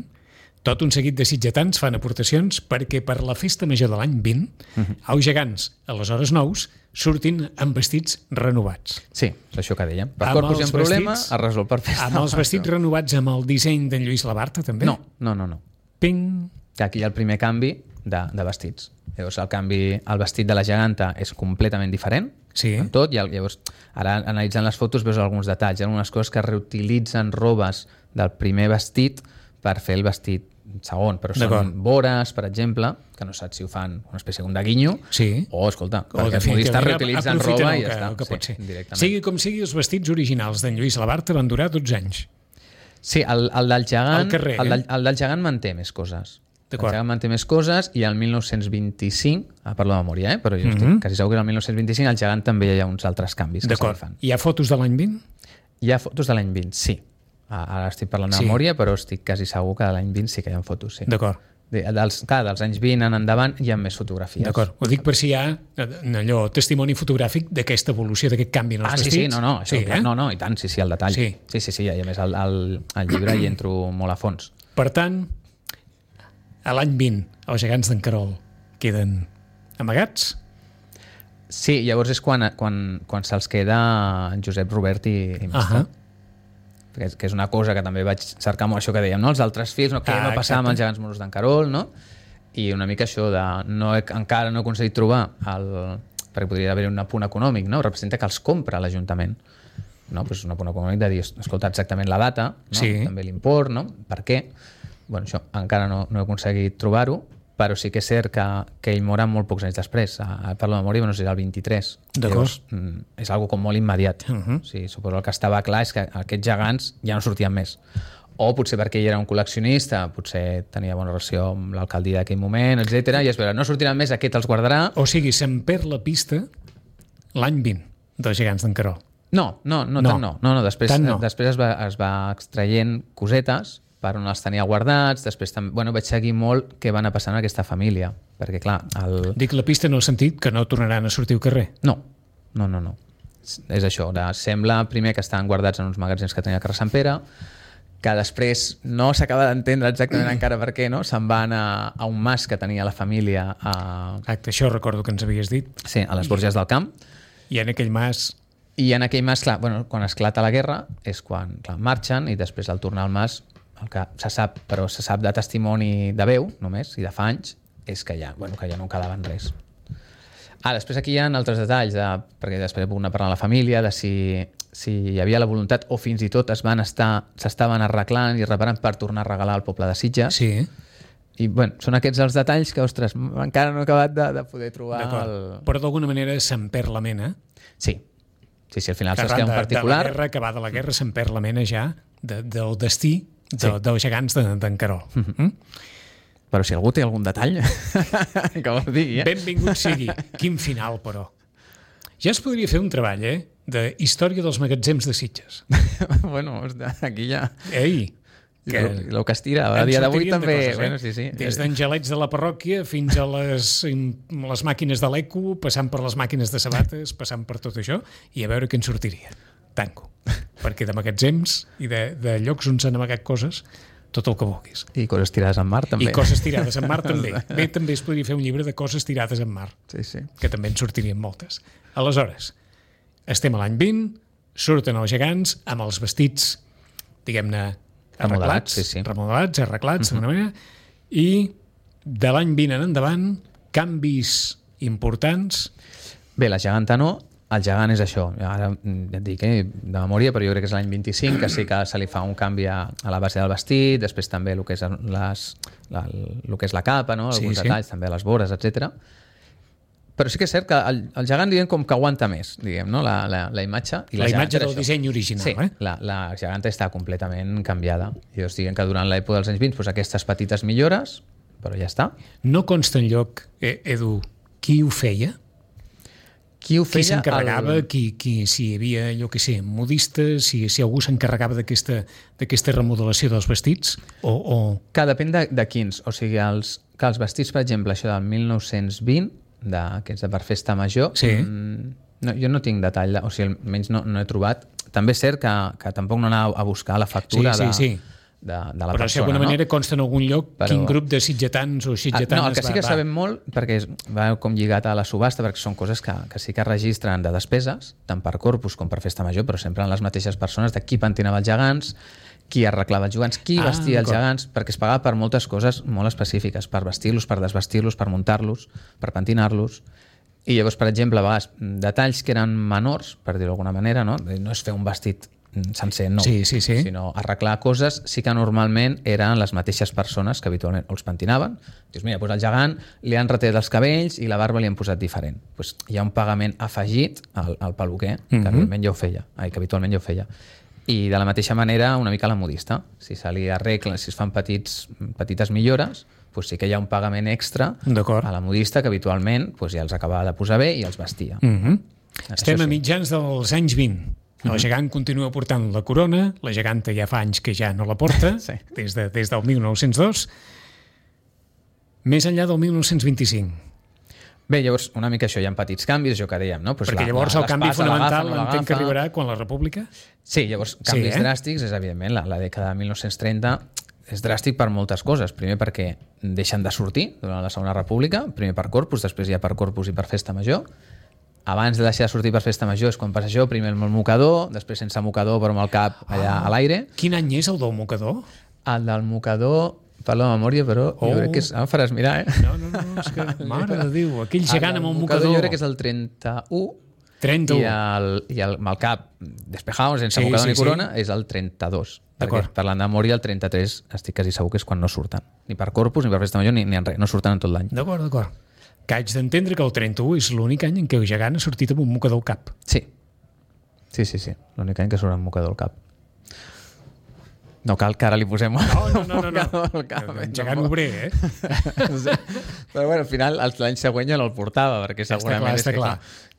tot un seguit de sitgetans fan aportacions perquè per la festa major de l'any 20 els gegants, aleshores nous, surtin amb vestits renovats. Sí, és això que dèiem. Per Amb Corpus hi ha els un problema, vestits- es resol per festa. Amb els vestits renovats amb el disseny d'en Lluís Labarta, també? No. Ping! Aquí hi ha el primer canvi de vestits. Llavors el vestit de la geganta és completament diferent, Sí. en tot, i llavors ara analitzant les fotos veus alguns detalls, hi ha algunes coses que reutilitzen robes del primer vestit per fer el vestit segon, però D'acord. són vores, per exemple, que no saps si ho fan una espècie de guinyo, Sí. o, escolta, O perquè els modistes reutilitzen aprofiten roba el i ja està. el que pot ser. directament. Sigui com sigui, els vestits originals d'en Lluís Labarta van durar 12 anys. Sí, el del gegant, Al carrer, el del gegant manté més coses. El D'acord. gegant manté més coses i el 1925, parlo de memòria, però jo estic quasi segur que el 1925 el gegant també hi ha uns altres canvis que se li D'acord. fan. Hi ha fotos de l'any 20? Hi ha fotos de l'any 20, sí. Ara estic parlant de Sí. memòria, però estic quasi segur que de l'any 20 sí que hi ha fotos, sí. D'acord. Dels anys 20 en endavant hi ha més fotografies. D'acord. Ho dic per si hi ha allò, testimoni fotogràfic d'aquesta evolució, d'aquest canvi en els vestits. Sí, no, això, no, i tant, sí, el detall. Sí. Sí, i a més al llibre hi entro molt a fons. Per tant, a l'any 20, els gegants d'en Carol queden amagats? Sí, llavors és quan se'ls queda en Josep Robert i Mestre. Que és una cosa que també vaig cercar molt, això que dèiem, no? Els altres fills, no? Què va passar amb els gegants moros d'en Carol, no? I una mica això de encara no he aconseguit trobar perquè podria haver un punt econòmic, no? Representa que els compra l'Ajuntament. No? Pues un punt econòmic de dir, escolta exactament la data, no? Sí. També l'import, no? Per què? Bueno, això encara no he aconseguit trobar-ho, però sí que és cert que ell mor molt pocs anys després. Parlo de memòria, no sé si era el 23. D'acord. Llavors, és algo com molt immediat. O sigui, suposo el que estava clar és que aquests gegants ja no sortien més. O potser perquè ell era un col·leccionista, potser tenia bona relació amb l'alcaldia d'aquell moment, etc. I es veure, no sortiran més, aquest els guardarà. O sigui, se'n perd la pista l'any 20 dels gegants d'en Carol. No. Després es va extraient cosetes per on els tenia guardats, després també, vaig seguir molt què va anar passant en aquesta família. Perquè, clar, Dic la pista en el sentit que no tornaran a sortir al carrer. No. És això, sembla primer que estan guardats en uns magatzems que tenia el carrer Sant Pere, que després no s'acaba d'entendre exactament encara per què, no? Se'n van a un mas que tenia la família Exacte, això recordo que ens havies dit. Sí, a les Borges del Camp. I en aquell mas... I en aquell mas, clar, quan esclata la guerra és quan marxen i després al tornar al mas el que se sap, però se sap de testimoni de veu només i de fa anys, és que ja no quedaven res. Després aquí hi ha altres detalls, perquè després puc anar parlant a la família, de si hi havia la voluntat o fins i tot s'estaven arreglant i reparant per tornar a regalar al poble de Sitges. Sí. I són aquests els detalls que, ostres, encara no he acabat de poder trobar. Però d'alguna manera se'n perd la mena. Sí, al final se'ls queda un particular. De la guerra, que va de la guerra, se'n perd la mena ja del destí dels gegants d'en Querol. Però si algú té algun detall, que ho digui. Benvingut sigui. Quin final, però. Ja es podria fer un treball, de història dels magatzems de Sitges. Aquí ja... Ei! El que es tira a dia d'avui també... Coses, sí. Des d'angelets de la parròquia fins a les màquines de l'eco, passant per les màquines de sabates, passant per tot això, i a veure què en sortiria. Tanco. Perquè de magatzems i de llocs on s'han amagat coses, tot el que vulguis. I coses tirades en mar, també. I coses tirades en mar, també. Bé, també es podria fer un llibre de coses tirades en mar. Sí. Que també en sortirien moltes. Aleshores, estem a l'any 20, surten els gegants amb els vestits, diguem-ne, arreglats, arreglats, d'una manera, i de l'any 20 en endavant, canvis importants. Bé, la geganta no. El gegant és això, ara ja et dic de memòria, però jo crec que és l'any 25, que sí que se li fa un canvi a la base del vestit, després també el que és la capa, no? Alguns detalls, també les vores, etc. Però sí que és cert que el gegant, diguem, com que aguanta més, diguem, no? La imatge. I la imatge del disseny original, sí, la geganta està completament canviada. I llavors diguem que durant l'època dels anys 20, aquestes petites millores, però ja està. No consta enlloc, Edu, qui ho feia? Qui s'encarregava, si hi havia, jo què sé, modistes, si algú s'encarregava d'aquesta remodelació dels vestits? Que depèn de quins. O sigui, que els vestits, per exemple, això del 1920, aquests de per festa major, jo no tinc detall, o sigui, almenys no he trobat. També és cert que tampoc no anava a buscar la factura de la persona. Però si d'alguna manera consta en algun lloc quin grup de sitgetans o sitgetanes el que sí que sabem molt, perquè va com lligat a la subhasta, perquè són coses que sí que registren de despeses, tant per corpus com per festa major, però sempre en les mateixes persones, de qui pentinava els gegants, qui arreglava els gegants, qui vestia els gegants, perquè es pagava per moltes coses molt específiques, per vestir-los, per desvestir-los, per muntar-los, per pentinar-los. I llavors, per exemple, a vegades, detalls que eren menors, per dir-ho d'alguna manera, no és fer un vestit sencer, no, sinó arreglar coses, sí que normalment eren les mateixes persones que habitualment els pentinaven. Dius, mira, doncs al gegant li han retirat els cabells i la barba li han posat diferent. Pues hi ha un pagament afegit al peluquer, que habitualment ja ho feia. I de la mateixa manera, una mica la modista. Si se li arregla, si es fan petites millores, pues sí que hi ha un pagament extra a la modista que habitualment ja els acabava de posar bé i els vestia. Estem a mitjans dels anys 20. El gegant continua portant la corona, la geganta ja fa anys que ja no la porta, des del 1902, més enllà del 1925. Bé, llavors, una mica això, hi ha petits canvis, això que dèiem, no? Perquè llavors el canvi fonamental entenc que arribarà quan la República? Sí, llavors, canvis dràstics, és evidentment, la dècada de 1930 és dràstic per moltes coses. Primer perquè deixen de sortir durant la Segona República, primer per corpus, després ja per corpus i per festa major. Abans de deixar de sortir per festa major és quan passa això, primer amb el mocador, després sense mocador però amb el cap allà a l'aire. Quin any és el del mocador? El del mocador, parlo de memòria, però jo crec que és... Em faràs mirar, No, és que, mare de Déu, aquell gegant amb un mocador... Jo crec que és el 31 i amb el cap despejado, sense mocador ni corona, és el 32. Perquè parlant de memòria, el 33 estic quasi segur que és quan no surten. Ni per corpus, ni per festa major, ni en res. No surten en tot l'any. D'acord. Que haig d'entendre que el 31 és l'únic any en què el gegant ha sortit amb un mocador al cap. Sí. L'únic any que surt amb un mocador al cap. No cal que ara li posem no. al cap. Gegant obrer, Però bueno, al final l'any següent ja no el portava, perquè segurament està clar.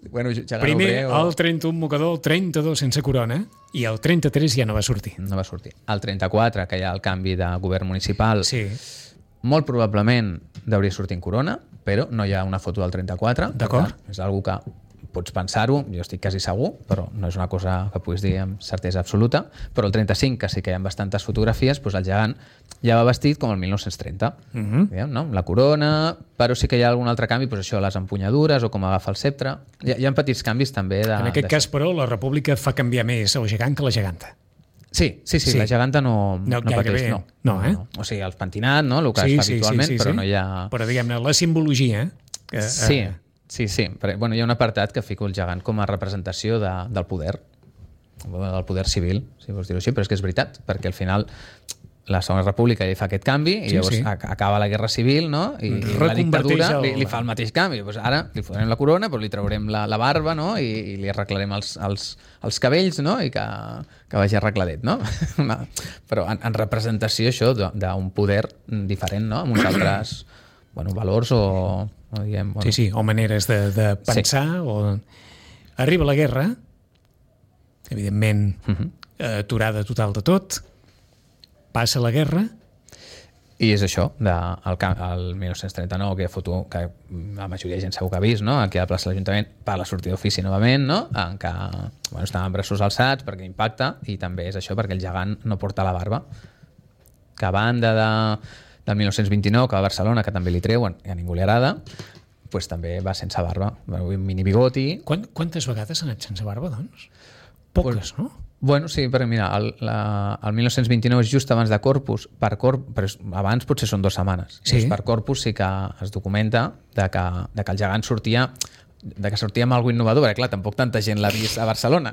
Bueno, primer el 31 mocador, el 32 sense corona i el 33 ja no va sortir. No va sortir. El 34, que hi ha el canvi de govern municipal, molt probablement deuria sortir en corona, però no hi ha una foto del 34. D'acord. És una que pots pensar-ho, jo estic quasi segur, però no és una cosa que puguis dir amb certesa absoluta, però el 35, que sí que hi ha bastantes fotografies, doncs el gegant ja va vestit com el 1930, diguem, no? La corona, però sí que hi ha algun altre canvi, doncs això, les empunyadures o com agafa el ceptre. Hi ha petits canvis també. En aquest cas, però, la República fa canviar més el gegant que la geganta. Sí, la geganta no pateix, no. O sigui, el pentinat, no? El que es fa habitualment, però no hi ha... Però, diguem-ne, la simbologia... Sí. Però, bueno, hi ha un apartat que fico el gegant com a representació del poder civil, si vols dir-ho així, però és que és veritat, perquè al final la Segona República ja fa aquest canvi i llavors acaba la Guerra Civil, no? I la dictadura li fa el mateix canvi. Pues ara li fotrem la corona, però li traurem la barba, no? I li arreglarem els cabells, no? I que vagi arregladet, no? Però en representació això d'un poder diferent, no? Amb uns altres valors o diguem... o maneres de pensar. Arriba la guerra, evidentment aturada total de tot, passa la guerra... I és això, el 1939, aquella foto que la majoria de gent segur que ha vist, no? Aquí a la plaça de l'Ajuntament, per la sortida d'ofici novament, no? En què estaven amb braços alçats perquè impacta, i també és això perquè el gegant no porta la barba. Que a banda del 1929, que va a Barcelona, que també li treuen, i a ningú li agrada, doncs també va sense barba, un mini bigoti... Quantes vegades ha anat sense barba, doncs? Poques, no? Bueno, sí, perquè mira, el 1929 és just abans de Corpus, però abans potser són 2 setmanes. Sí. Per Corpus sí que es documenta de que el gegant sortia amb alguna innovador, perquè clar, tampoc tanta gent l'ha vist a Barcelona.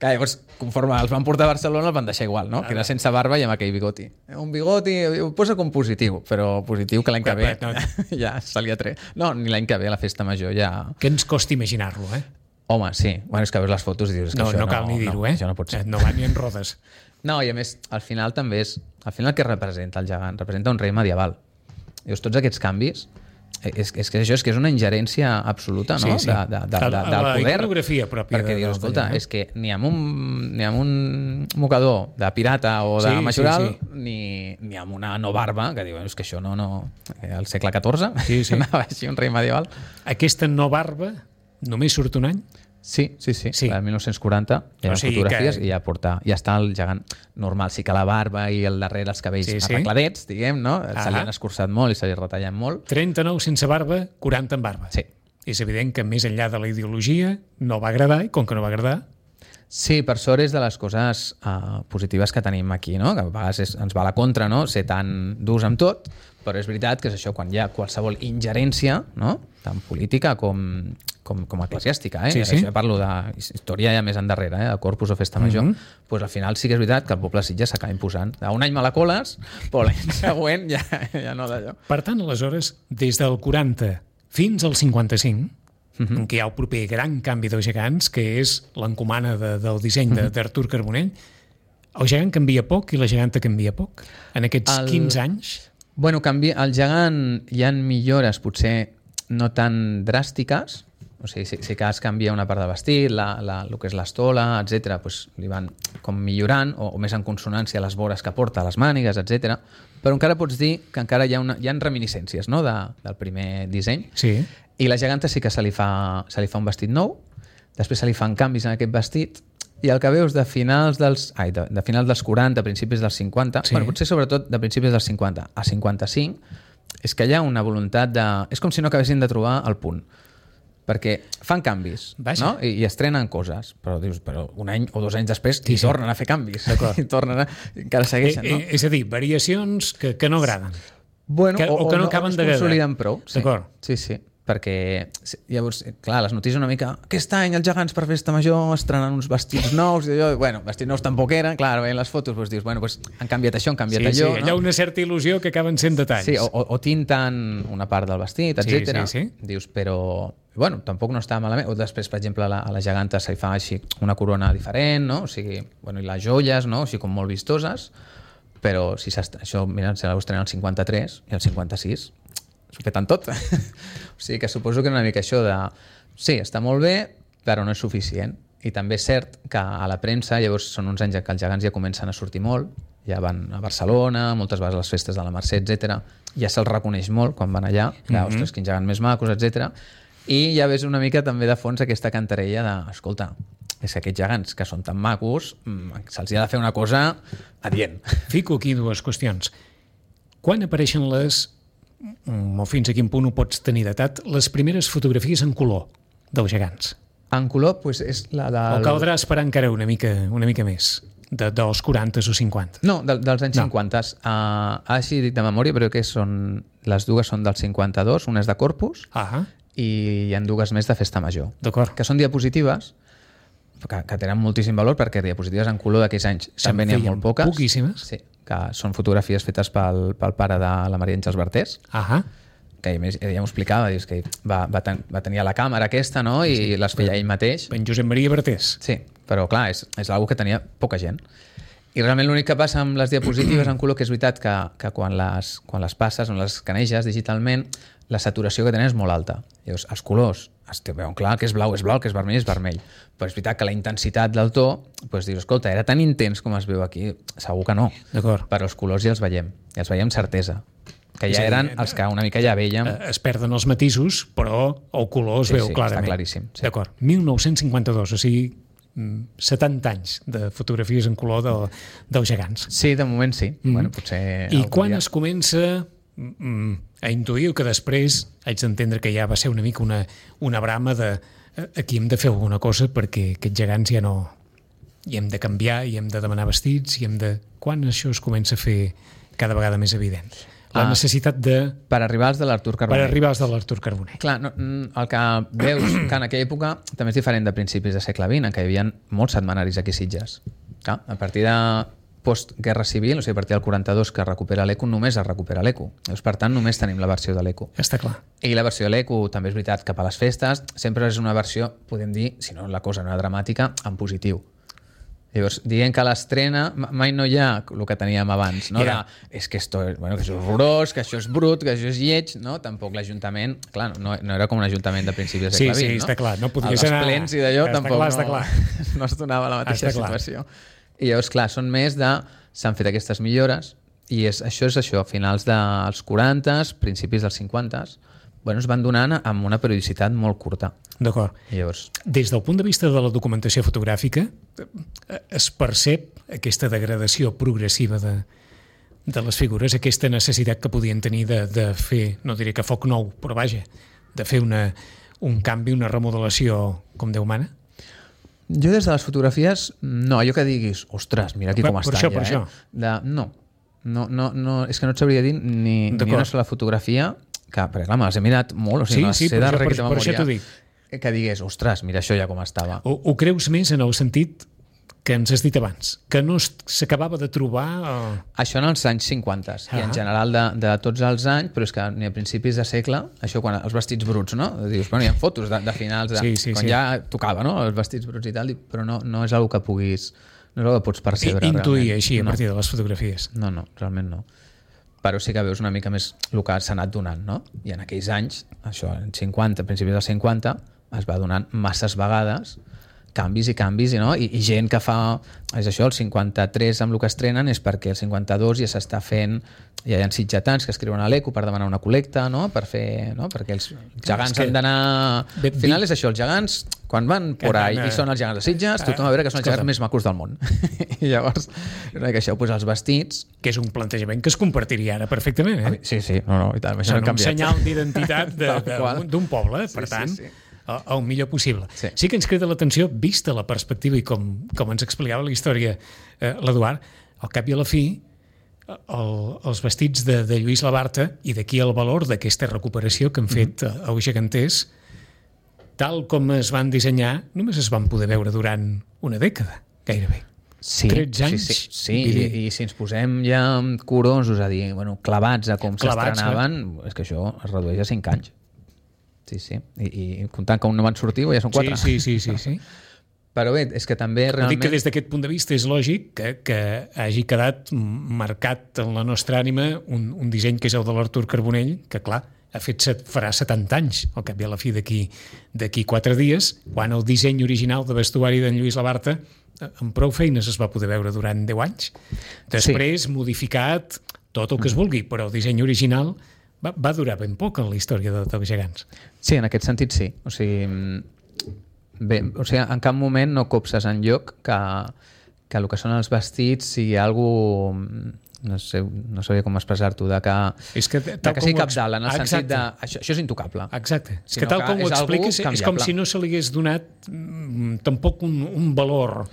Que llavors, conforme els van portar a Barcelona, el van deixar igual, no? Que era sense barba i amb aquell bigoti. Un bigoti, ho posa com positiu, però positiu que l'any que ve ja se li ha tret. No, ni l'any que ve a la festa major ja... Que ens costa imaginar-lo, Home, sí. Bueno, és que veus les fotos i dius que això no cal ni dir-ho, això no pot ser. No va ni en rodes. No, i a més, al final també és... Al final què representa el gegant? Representa un rei medieval. Dius, tots aquests canvis... És que això és una ingerència absoluta, no? Sí. Del poder. La iconografia pròpia. Perquè dius, escolta, és que ni amb un mocador de pirata o de majoral, ni amb una no barba, que diu, és que això no... Al segle XIV anava així un rei medieval. Aquesta no barba només surt un any? Sí. El 1940 hi ha fotografies i ja està el gegant normal. Sí que la barba i el darrere els cabells arregladets, diguem, no? Se li han escurçat molt i se li retallen molt. 39 sense barba, 40 amb barba. Sí. És evident que més enllà de la ideologia no va agradar, i com que no va agradar... Sí, per sort és de les coses positives que tenim aquí, no? Que a vegades ens va a la contra, no? Ser tan durs amb tot, però és veritat que és això, quan hi ha qualsevol ingerència, no? Tant política com eclesiàstica, Sí. Això ja parlo de història ja més endarrere, de Corpus o Festa Major, doncs al final sí que és veritat que el poble de Sitges s'acaba imposant. Un any malacoles, però l'any següent ja no d'allò. Per tant, aleshores, des del 40 fins al 55, en què hi ha el proper gran canvi dels gegants, que és l'encomana del disseny d'Artur Carbonell, el gegant canvia poc i la geganta canvia poc. En aquests 15 anys... Bueno, el gegant hi ha millores potser no tan dràstiques, o sigui, si que es canvia una part del vestit, el que és l'estola, etc., doncs li van com millorant, o més en consonància les vores que porta, les mànigues, etc. Però encara pots dir que encara hi ha reminiscències, no?, del primer disseny. Sí. I la geganta sí que se li fa un vestit nou, després se li fan canvis en aquest vestit, i el que veus de finals dels 40, principis dels 50, bueno, potser sobretot de principis dels 50 a 55, és que hi ha una voluntat de... És com si no acabessin de trobar el punt. Perquè fan canvis, no? I estrenen coses, però dius, un any o 2 anys després tornen a fer canvis. I encara segueixen, no? És a dir, variacions que no agraden. Bueno, o que no acaben de consoliden prou. D'acord. Sí. Perquè llavors, clar, les notícies una mica aquest any els gegants per Festa Major estrenen uns vestits nous i allò, bueno, vestits nous tampoc eren, clar, veient les fotos doncs dius, bueno, han canviat això, han canviat allò. Sí, hi ha una certa il·lusió que acaben sent detalls. Sí, o tinten una part del vestit, etc. Sí. Dius, però bueno, tampoc no està malament. O després, per exemple, a la geganta se li fa així una corona diferent, no? O sigui, bueno, i les joies, no? O sigui, com molt vistoses, però si això, mira, se l'estrenar el 53 i el 56 s'ho peten tot. O sigui que suposo que una mica això de... Sí, està molt bé, però no és suficient. I també és cert que a la premsa, llavors són uns anys que els gegants ja comencen a sortir molt, Ja van a Barcelona, moltes vegades a les festes de la Mercè, etc. Ja se'ls reconeix molt quan van allà, que, ostres, quins gegants més macos, etc. I ja ves una mica també de fons aquesta cantarella de, escolta, és que aquests gegants que són tan macos, se'ls ha de fer una cosa adient. Fico aquí dues qüestions. Quan apareixen o fins a quin punt ho pots tenir datat, les primeres fotografies en color dels gegants? En color, doncs és la del... O caldrà esperar encara una mica més, dels 40 o 50? No, dels anys 50. Així dic de memòria, però que les dues són del 52, una és de Corpus i hi ha dues més de Festa Major. D'acord. Que són diapositives, que tenen moltíssim valor perquè diapositives en color d'aquells anys també n'hi ha molt poques. Poquíssimes. Sí, que són fotografies fetes pel pare de la Maria Àngels Bartés. Que a més ja m'ho explicava, dius que va tenir la càmera aquesta, no? I les feia ell mateix. En Josep Maria Bartés. Sí, però clar, és una que tenia poca gent. I realment l'únic que passa amb les diapositives en color, que és veritat que quan les passes o les escaneges digitalment, la saturació que tenen és molt alta. Llavors, els colors es veuen clar, que és blau, que és vermell. Però és veritat que la intensitat del to, doncs dius, escolta, era tan intens com es veu aquí? Segur que no. D'acord. Però els colors ja els veiem amb certesa. Que ja eren els que una mica ja veiem. Es perden els matisos, però el color es veu clarament. Està claríssim. Sí. D'acord. 1952, o sigui, 70 anys de fotografies en color dels gegants. Sí, de moment sí. Bueno, potser I quan es comença a intuir que després haig d'entendre que ja va ser una mica una brama de aquí hem de fer alguna cosa perquè aquests gegants ja no... I hem de canviar, i hem de demanar vestits, i hem de... Quan això es comença a fer cada vegada més evident? La necessitat de... Per arribar als de l'Artur Carbonell. Per arribar als de l'Artur Carbonell. Clar, el que veus que en aquella època també és diferent de principis de segle XX, en què hi havia molts setmanaris aquí a Sitges. Clar, a partir de postguerra civil, o sigui, a partir del 42 que recupera l'ECO, només es recupera l'ECO. Per tant, només tenim la versió de l'ECO. Està clar. I la versió de l'ECO, també és veritat, cap a les festes, sempre és una versió, podem dir, si no la cosa no era dramàtica, en positiu. Llavors, dient que l'estrena mai no hi ha el que teníem abans, no? És que això és horrorós, que això és brut, que això és lleig, no? Tampoc l'Ajuntament, clar, no era com un ajuntament de principis del segle XX, no? Sí, està clar. No podies anar... Els plens i d'allò tampoc clar. No es donava la mateixa situació. I llavors, clar, són més de... S'han fet aquestes millores i això és això, a finals dels 40, principis dels 50, es van donant amb una periodicitat molt curta. D'acord. Llavors... Des del punt de vista de la documentació fotogràfica, es percep aquesta degradació progressiva de les figures, aquesta necessitat que podien tenir de fer, no diré que foc nou, però vaja, de fer un canvi, una remodelació com Déu mana? Jo des de les fotografies, no, allò que diguis, ostres, mira aquí com està ja. Per això. No, és que no et sabria dir ni una sola fotografia perquè clar, me les he mirat molt, o sigui, per això t'ho dic. Que digués, ostres, mira això ja com estava. Ho creus més en el sentit que ens has dit abans, que no s'acabava de trobar... Això en els anys 50 i en general de tots els anys, però és que ni a principis de segle, això quan els vestits bruts, no? Dius, bueno, hi ha fotos de finals, quan ja tocava, no? Els vestits bruts i tal, però no és una que puguis... No és una que pots percebre. Intuir així a partir de les fotografies. No, realment no. Però sí que veus una mica més el que s'ha anat donant, no? I en aquells anys, això, en 50, a principis dels 50, es va donant masses vegades canvis, no? I gent que fa... És això, el 53 amb el que estrenen és perquè el 52 ja s'està fent... Ja hi ha sitgetans que escriuen a l'ECO per demanar una col·lecta, no? Per fer... No? Perquè els gegants han d'anar... Al final és això, els gegants, quan van por ahí i són els gegants de Sitges, tothom va veure que són els gegants més macos del món. I llavors, això, els vestits... Que és un plantejament que es compartiria ara perfectament, eh? Sí, no, i tant, això no ha canviat. Un senyal d'identitat d'un poble, per tant... el millor possible. Sí que ens crida l'atenció, vista la perspectiva i com ens explicava la història l'Eduard, al cap i a la fi els vestits de Lluís Labarta, i d'aquí el valor d'aquesta recuperació que han fet els geganters, tal com es van dissenyar, només es van poder veure durant una dècada, gairebé. 13 anys. Sí. I si ens posem ja curosos a dir, clavats a com s'estrenaven, és que això es redueix a 5 anys. Sí. I comptant que un no van sortir, ja són 4. Sí. Però bé, és que també realment... Dic que des d'aquest punt de vista és lògic que hagi quedat marcat en la nostra ànima un disseny que és el de l'Artur Carbonell, que clar, farà 70 anys, al cap i a la fi d'aquí 4 dies, quan el disseny original de vestuari d'en Lluís Labarta amb prou feines es va poder veure durant 10 anys. Després, modificat tot el que es vulgui, però el disseny original va durar ben poc en la història dels gegants. Sí, en aquest sentit sí. O sigui, en cap moment no copses enlloc que el que són els vestits sigui algú, no sabia com expressar-t'ho, que sigui capdalt, en el sentit de això és intocable. Exacte. És que tal com ho expliques és com si no se li hagués donat tampoc un valor.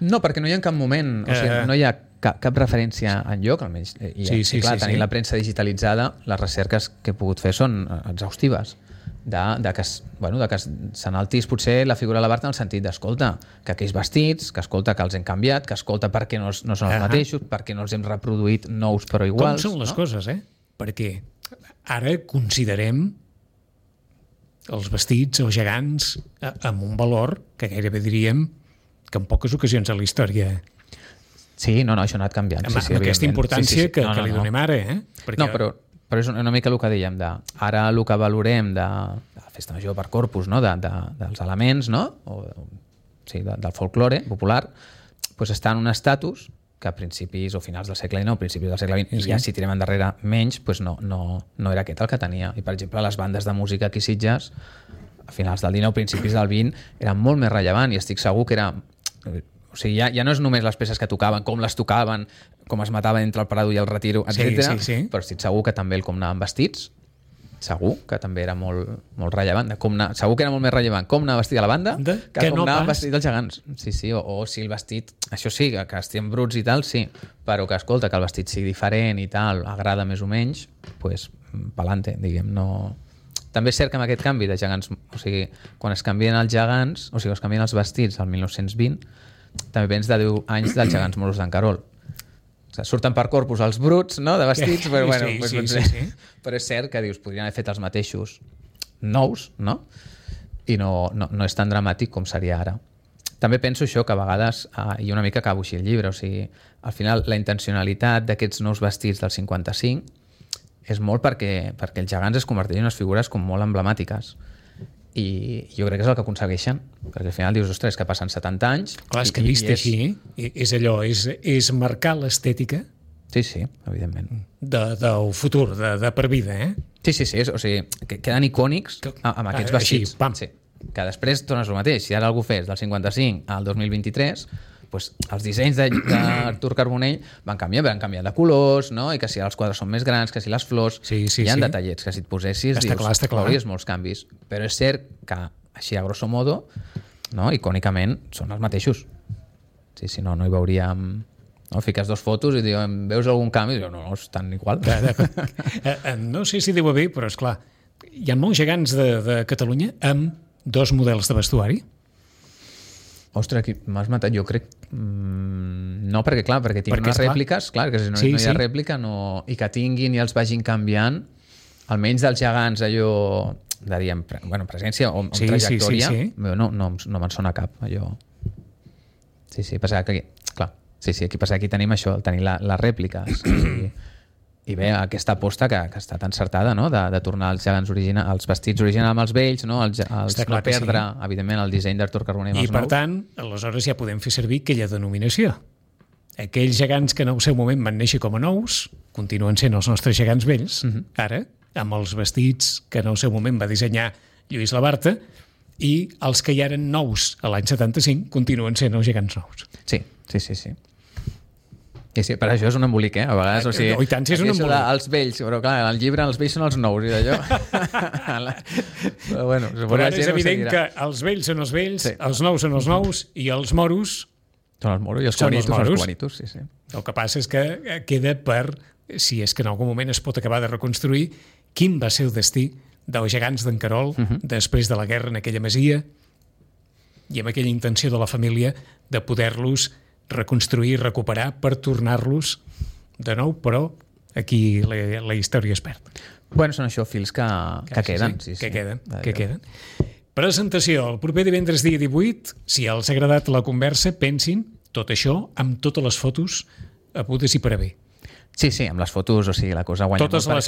No, perquè no hi ha en cap moment, o sigui, no hi ha cap referència enlloc, almenys. I clar, tenint la premsa digitalitzada, les recerques que he pogut fer són exhaustives. De que s'enaltís potser la figura de Labarta en el sentit d'escolta, que aquells vestits, que escolta que els hem canviat, que escolta per què no són els mateixos, per què no els hem reproduït nous però iguals. Com són les coses, Perquè ara considerem els vestits, els gegants, amb un valor que gairebé diríem que en poques ocasions a la història... Sí, no, això ha anat canviant. Amb aquesta importància que li donem ara, Perquè... No, però és una mica el que dèiem, ara el que valorem de la festa major per Corpus, dels elements, del folklore popular, està en un estatus que a principis o finals del segle XIX, principis del segle XX, i ja si tirem endarrere menys, no era aquest el que tenia. I, per exemple, les bandes de música aquí a Sitges, a finals del XIX, principis del XX, eren molt més rellevant i estic segur que era... O sigui, ja no és només les peces que tocaven, com les tocaven, com es mataven entre el Prado i el Retiro, etc. Però estic segur que també el com anaven vestits, segur que també era molt rellevant. Segur que era molt més rellevant com anar vestit a la banda que com anar vestit dels gegants. Sí, o si el vestit, això sí, que estiguem bruts i tal, sí, però que escolta, que el vestit sigui diferent i tal, agrada més o menys, doncs pa'lante, diguem, no... També és cert que amb aquest canvi de gegants, o sigui, quan es canvien els gegants, o sigui, es canvien els vestits al 1920, també vens de 10 anys dels gegants moros d'en Carol. O sigui, surten per Corpus els bruts, no?, de vestits, però bueno, sí. Però és cert que dius, podrien haver fet els mateixos nous, no? I no és tan dramàtic com seria ara. També penso això, que a vegades, i una mica acabo així el llibre, o sigui, al final la intencionalitat d'aquests nous vestits del 55 és molt perquè els gegants es converteixen en unes figures com molt emblemàtiques. I jo crec que és el que aconsegueixen, perquè al final dius, ostres, que passen 70 anys... Clar, és que vist així, és allò, és marcar l'estètica... Sí, evidentment. Del futur, de per vida, Sí, o sigui, que queden icònics amb aquests vestits. Així, pam. Sí. Que després tornes el mateix. Si ara algú fes del 55 al 2023... Doncs els dissenys d'Artur Carbonell van canviar de colors, no? I que si els quadres són més grans, que si les flors... Hi ha detallets que si et posessis veuries molts canvis. Però és cert que, així a grosso modo, no? Icònicament, són els mateixos. Si no hi veuríem... No? Fiques 2 fotos i diuen, veus algun canvi? I diu, no, estan igual. No sé si diu bé, però és clar, hi ha molts gegants de Catalunya amb 2 models de vestuari. Ostres, aquí m'has matat, jo crec... No, perquè tinc unes rèpliques, clar, que si no hi ha rèplica i que tinguin i els vagin canviant, almenys dels gegants allò, diríem, presència o trajectòria, no me'n sona cap, allò. Sí, passa que aquí passa que aquí tenim això, tenim les rèpliques i bé, aquesta aposta que ha estat encertada, no?, de tornar els gegants els vestits originals amb els vells, no?, no perdre, evidentment, el disseny d'Artur Carbonell amb els nous. I per tant, aleshores ja podem fer servir aquella denominació. Aquells gegants que en el seu moment van néixer com a nous continuen sent els nostres gegants vells, ara, amb els vestits que en el seu moment va dissenyar Lluís Labarta, i els que ja eren nous a l'any 75 continuen sent els gegants nous. Sí. Sí, per això és un embolic, a vegades, o sigui... I tant, si és un embolic. Els vells, però clar, al llibre els vells són els nous, i d'allò... Però ara és evident que els vells són els vells, els nous són els nous, i els moros... Són els moros, i els quanitos, sí. El que passa és que queda per, si és que en algun moment es pot acabar de reconstruir, quin va ser el destí dels gegants d'en Carol després de la guerra en aquella masia i amb aquella intenció de la família de poder-los reconstruir, recuperar per tornar-los de nou, però aquí la història es perd. Bueno, són això, fils que queden. Sí, que queden. Presentació el proper divendres dia 18. Si els ha agradat la conversa, pensin tot això amb totes les fotos hagudes i per haver. Sí, amb les fotos, o sigui, la cosa guanya totes molt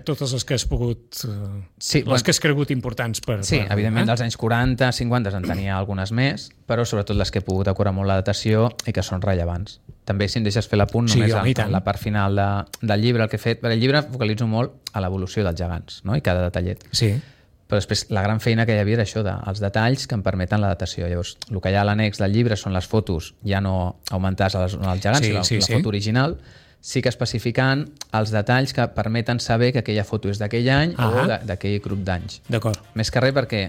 totes les que has pogut... Sí, les que has cregut importants per... Sí, evidentment dels anys 40, 50 en tenia algunes més, però sobretot les que he pogut decorar molt la datació i que són rellevants. També, si em deixes fer l'apunt, només en la part final del llibre, el que he fet... Per el llibre focalitzo molt a l'evolució dels gegants, no? I cada detallet. Sí. Però després la gran feina que hi havia era això, els detalls que em permeten la datació. Llavors, el que hi ha a l'annex del llibre són les fotos, ja no augmentades als gegants, sinó la foto original, sí que especificant els detalls que permeten saber que aquella foto és d'aquell any o d'aquell grup d'anys. D'acord. Més que res perquè,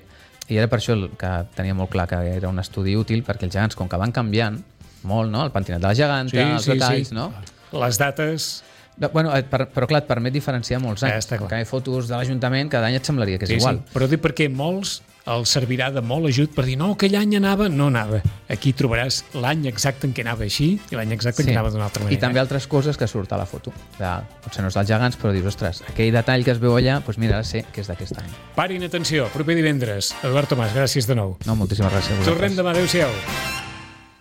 i era per això que tenia molt clar que era un estudi útil, perquè els gegants, com que van canviant molt, no? El pentinat de la geganta, els detalls, no? Les dates... Bueno, però clar, et permet diferenciar molts anys. Que hi ha fotos de l'Ajuntament, cada any et semblaria que és igual. Sí. Però dic perquè molts els servirà de molt ajut per dir no, aquell any anava, no anava. Aquí trobaràs l'any exacte en què anava així i l'any exacte en què anava d'una altra manera. I també altres coses que surt a la foto. Potser no és dels gegants, però dius, ostres, aquell detall que es veu allà, doncs mira, ara sé que és d'aquest any. Parin atenció, proper divendres. Eduard Tomàs, gràcies de nou. No, moltíssimes gràcies a vosaltres. Tornem demà, adéu-siau.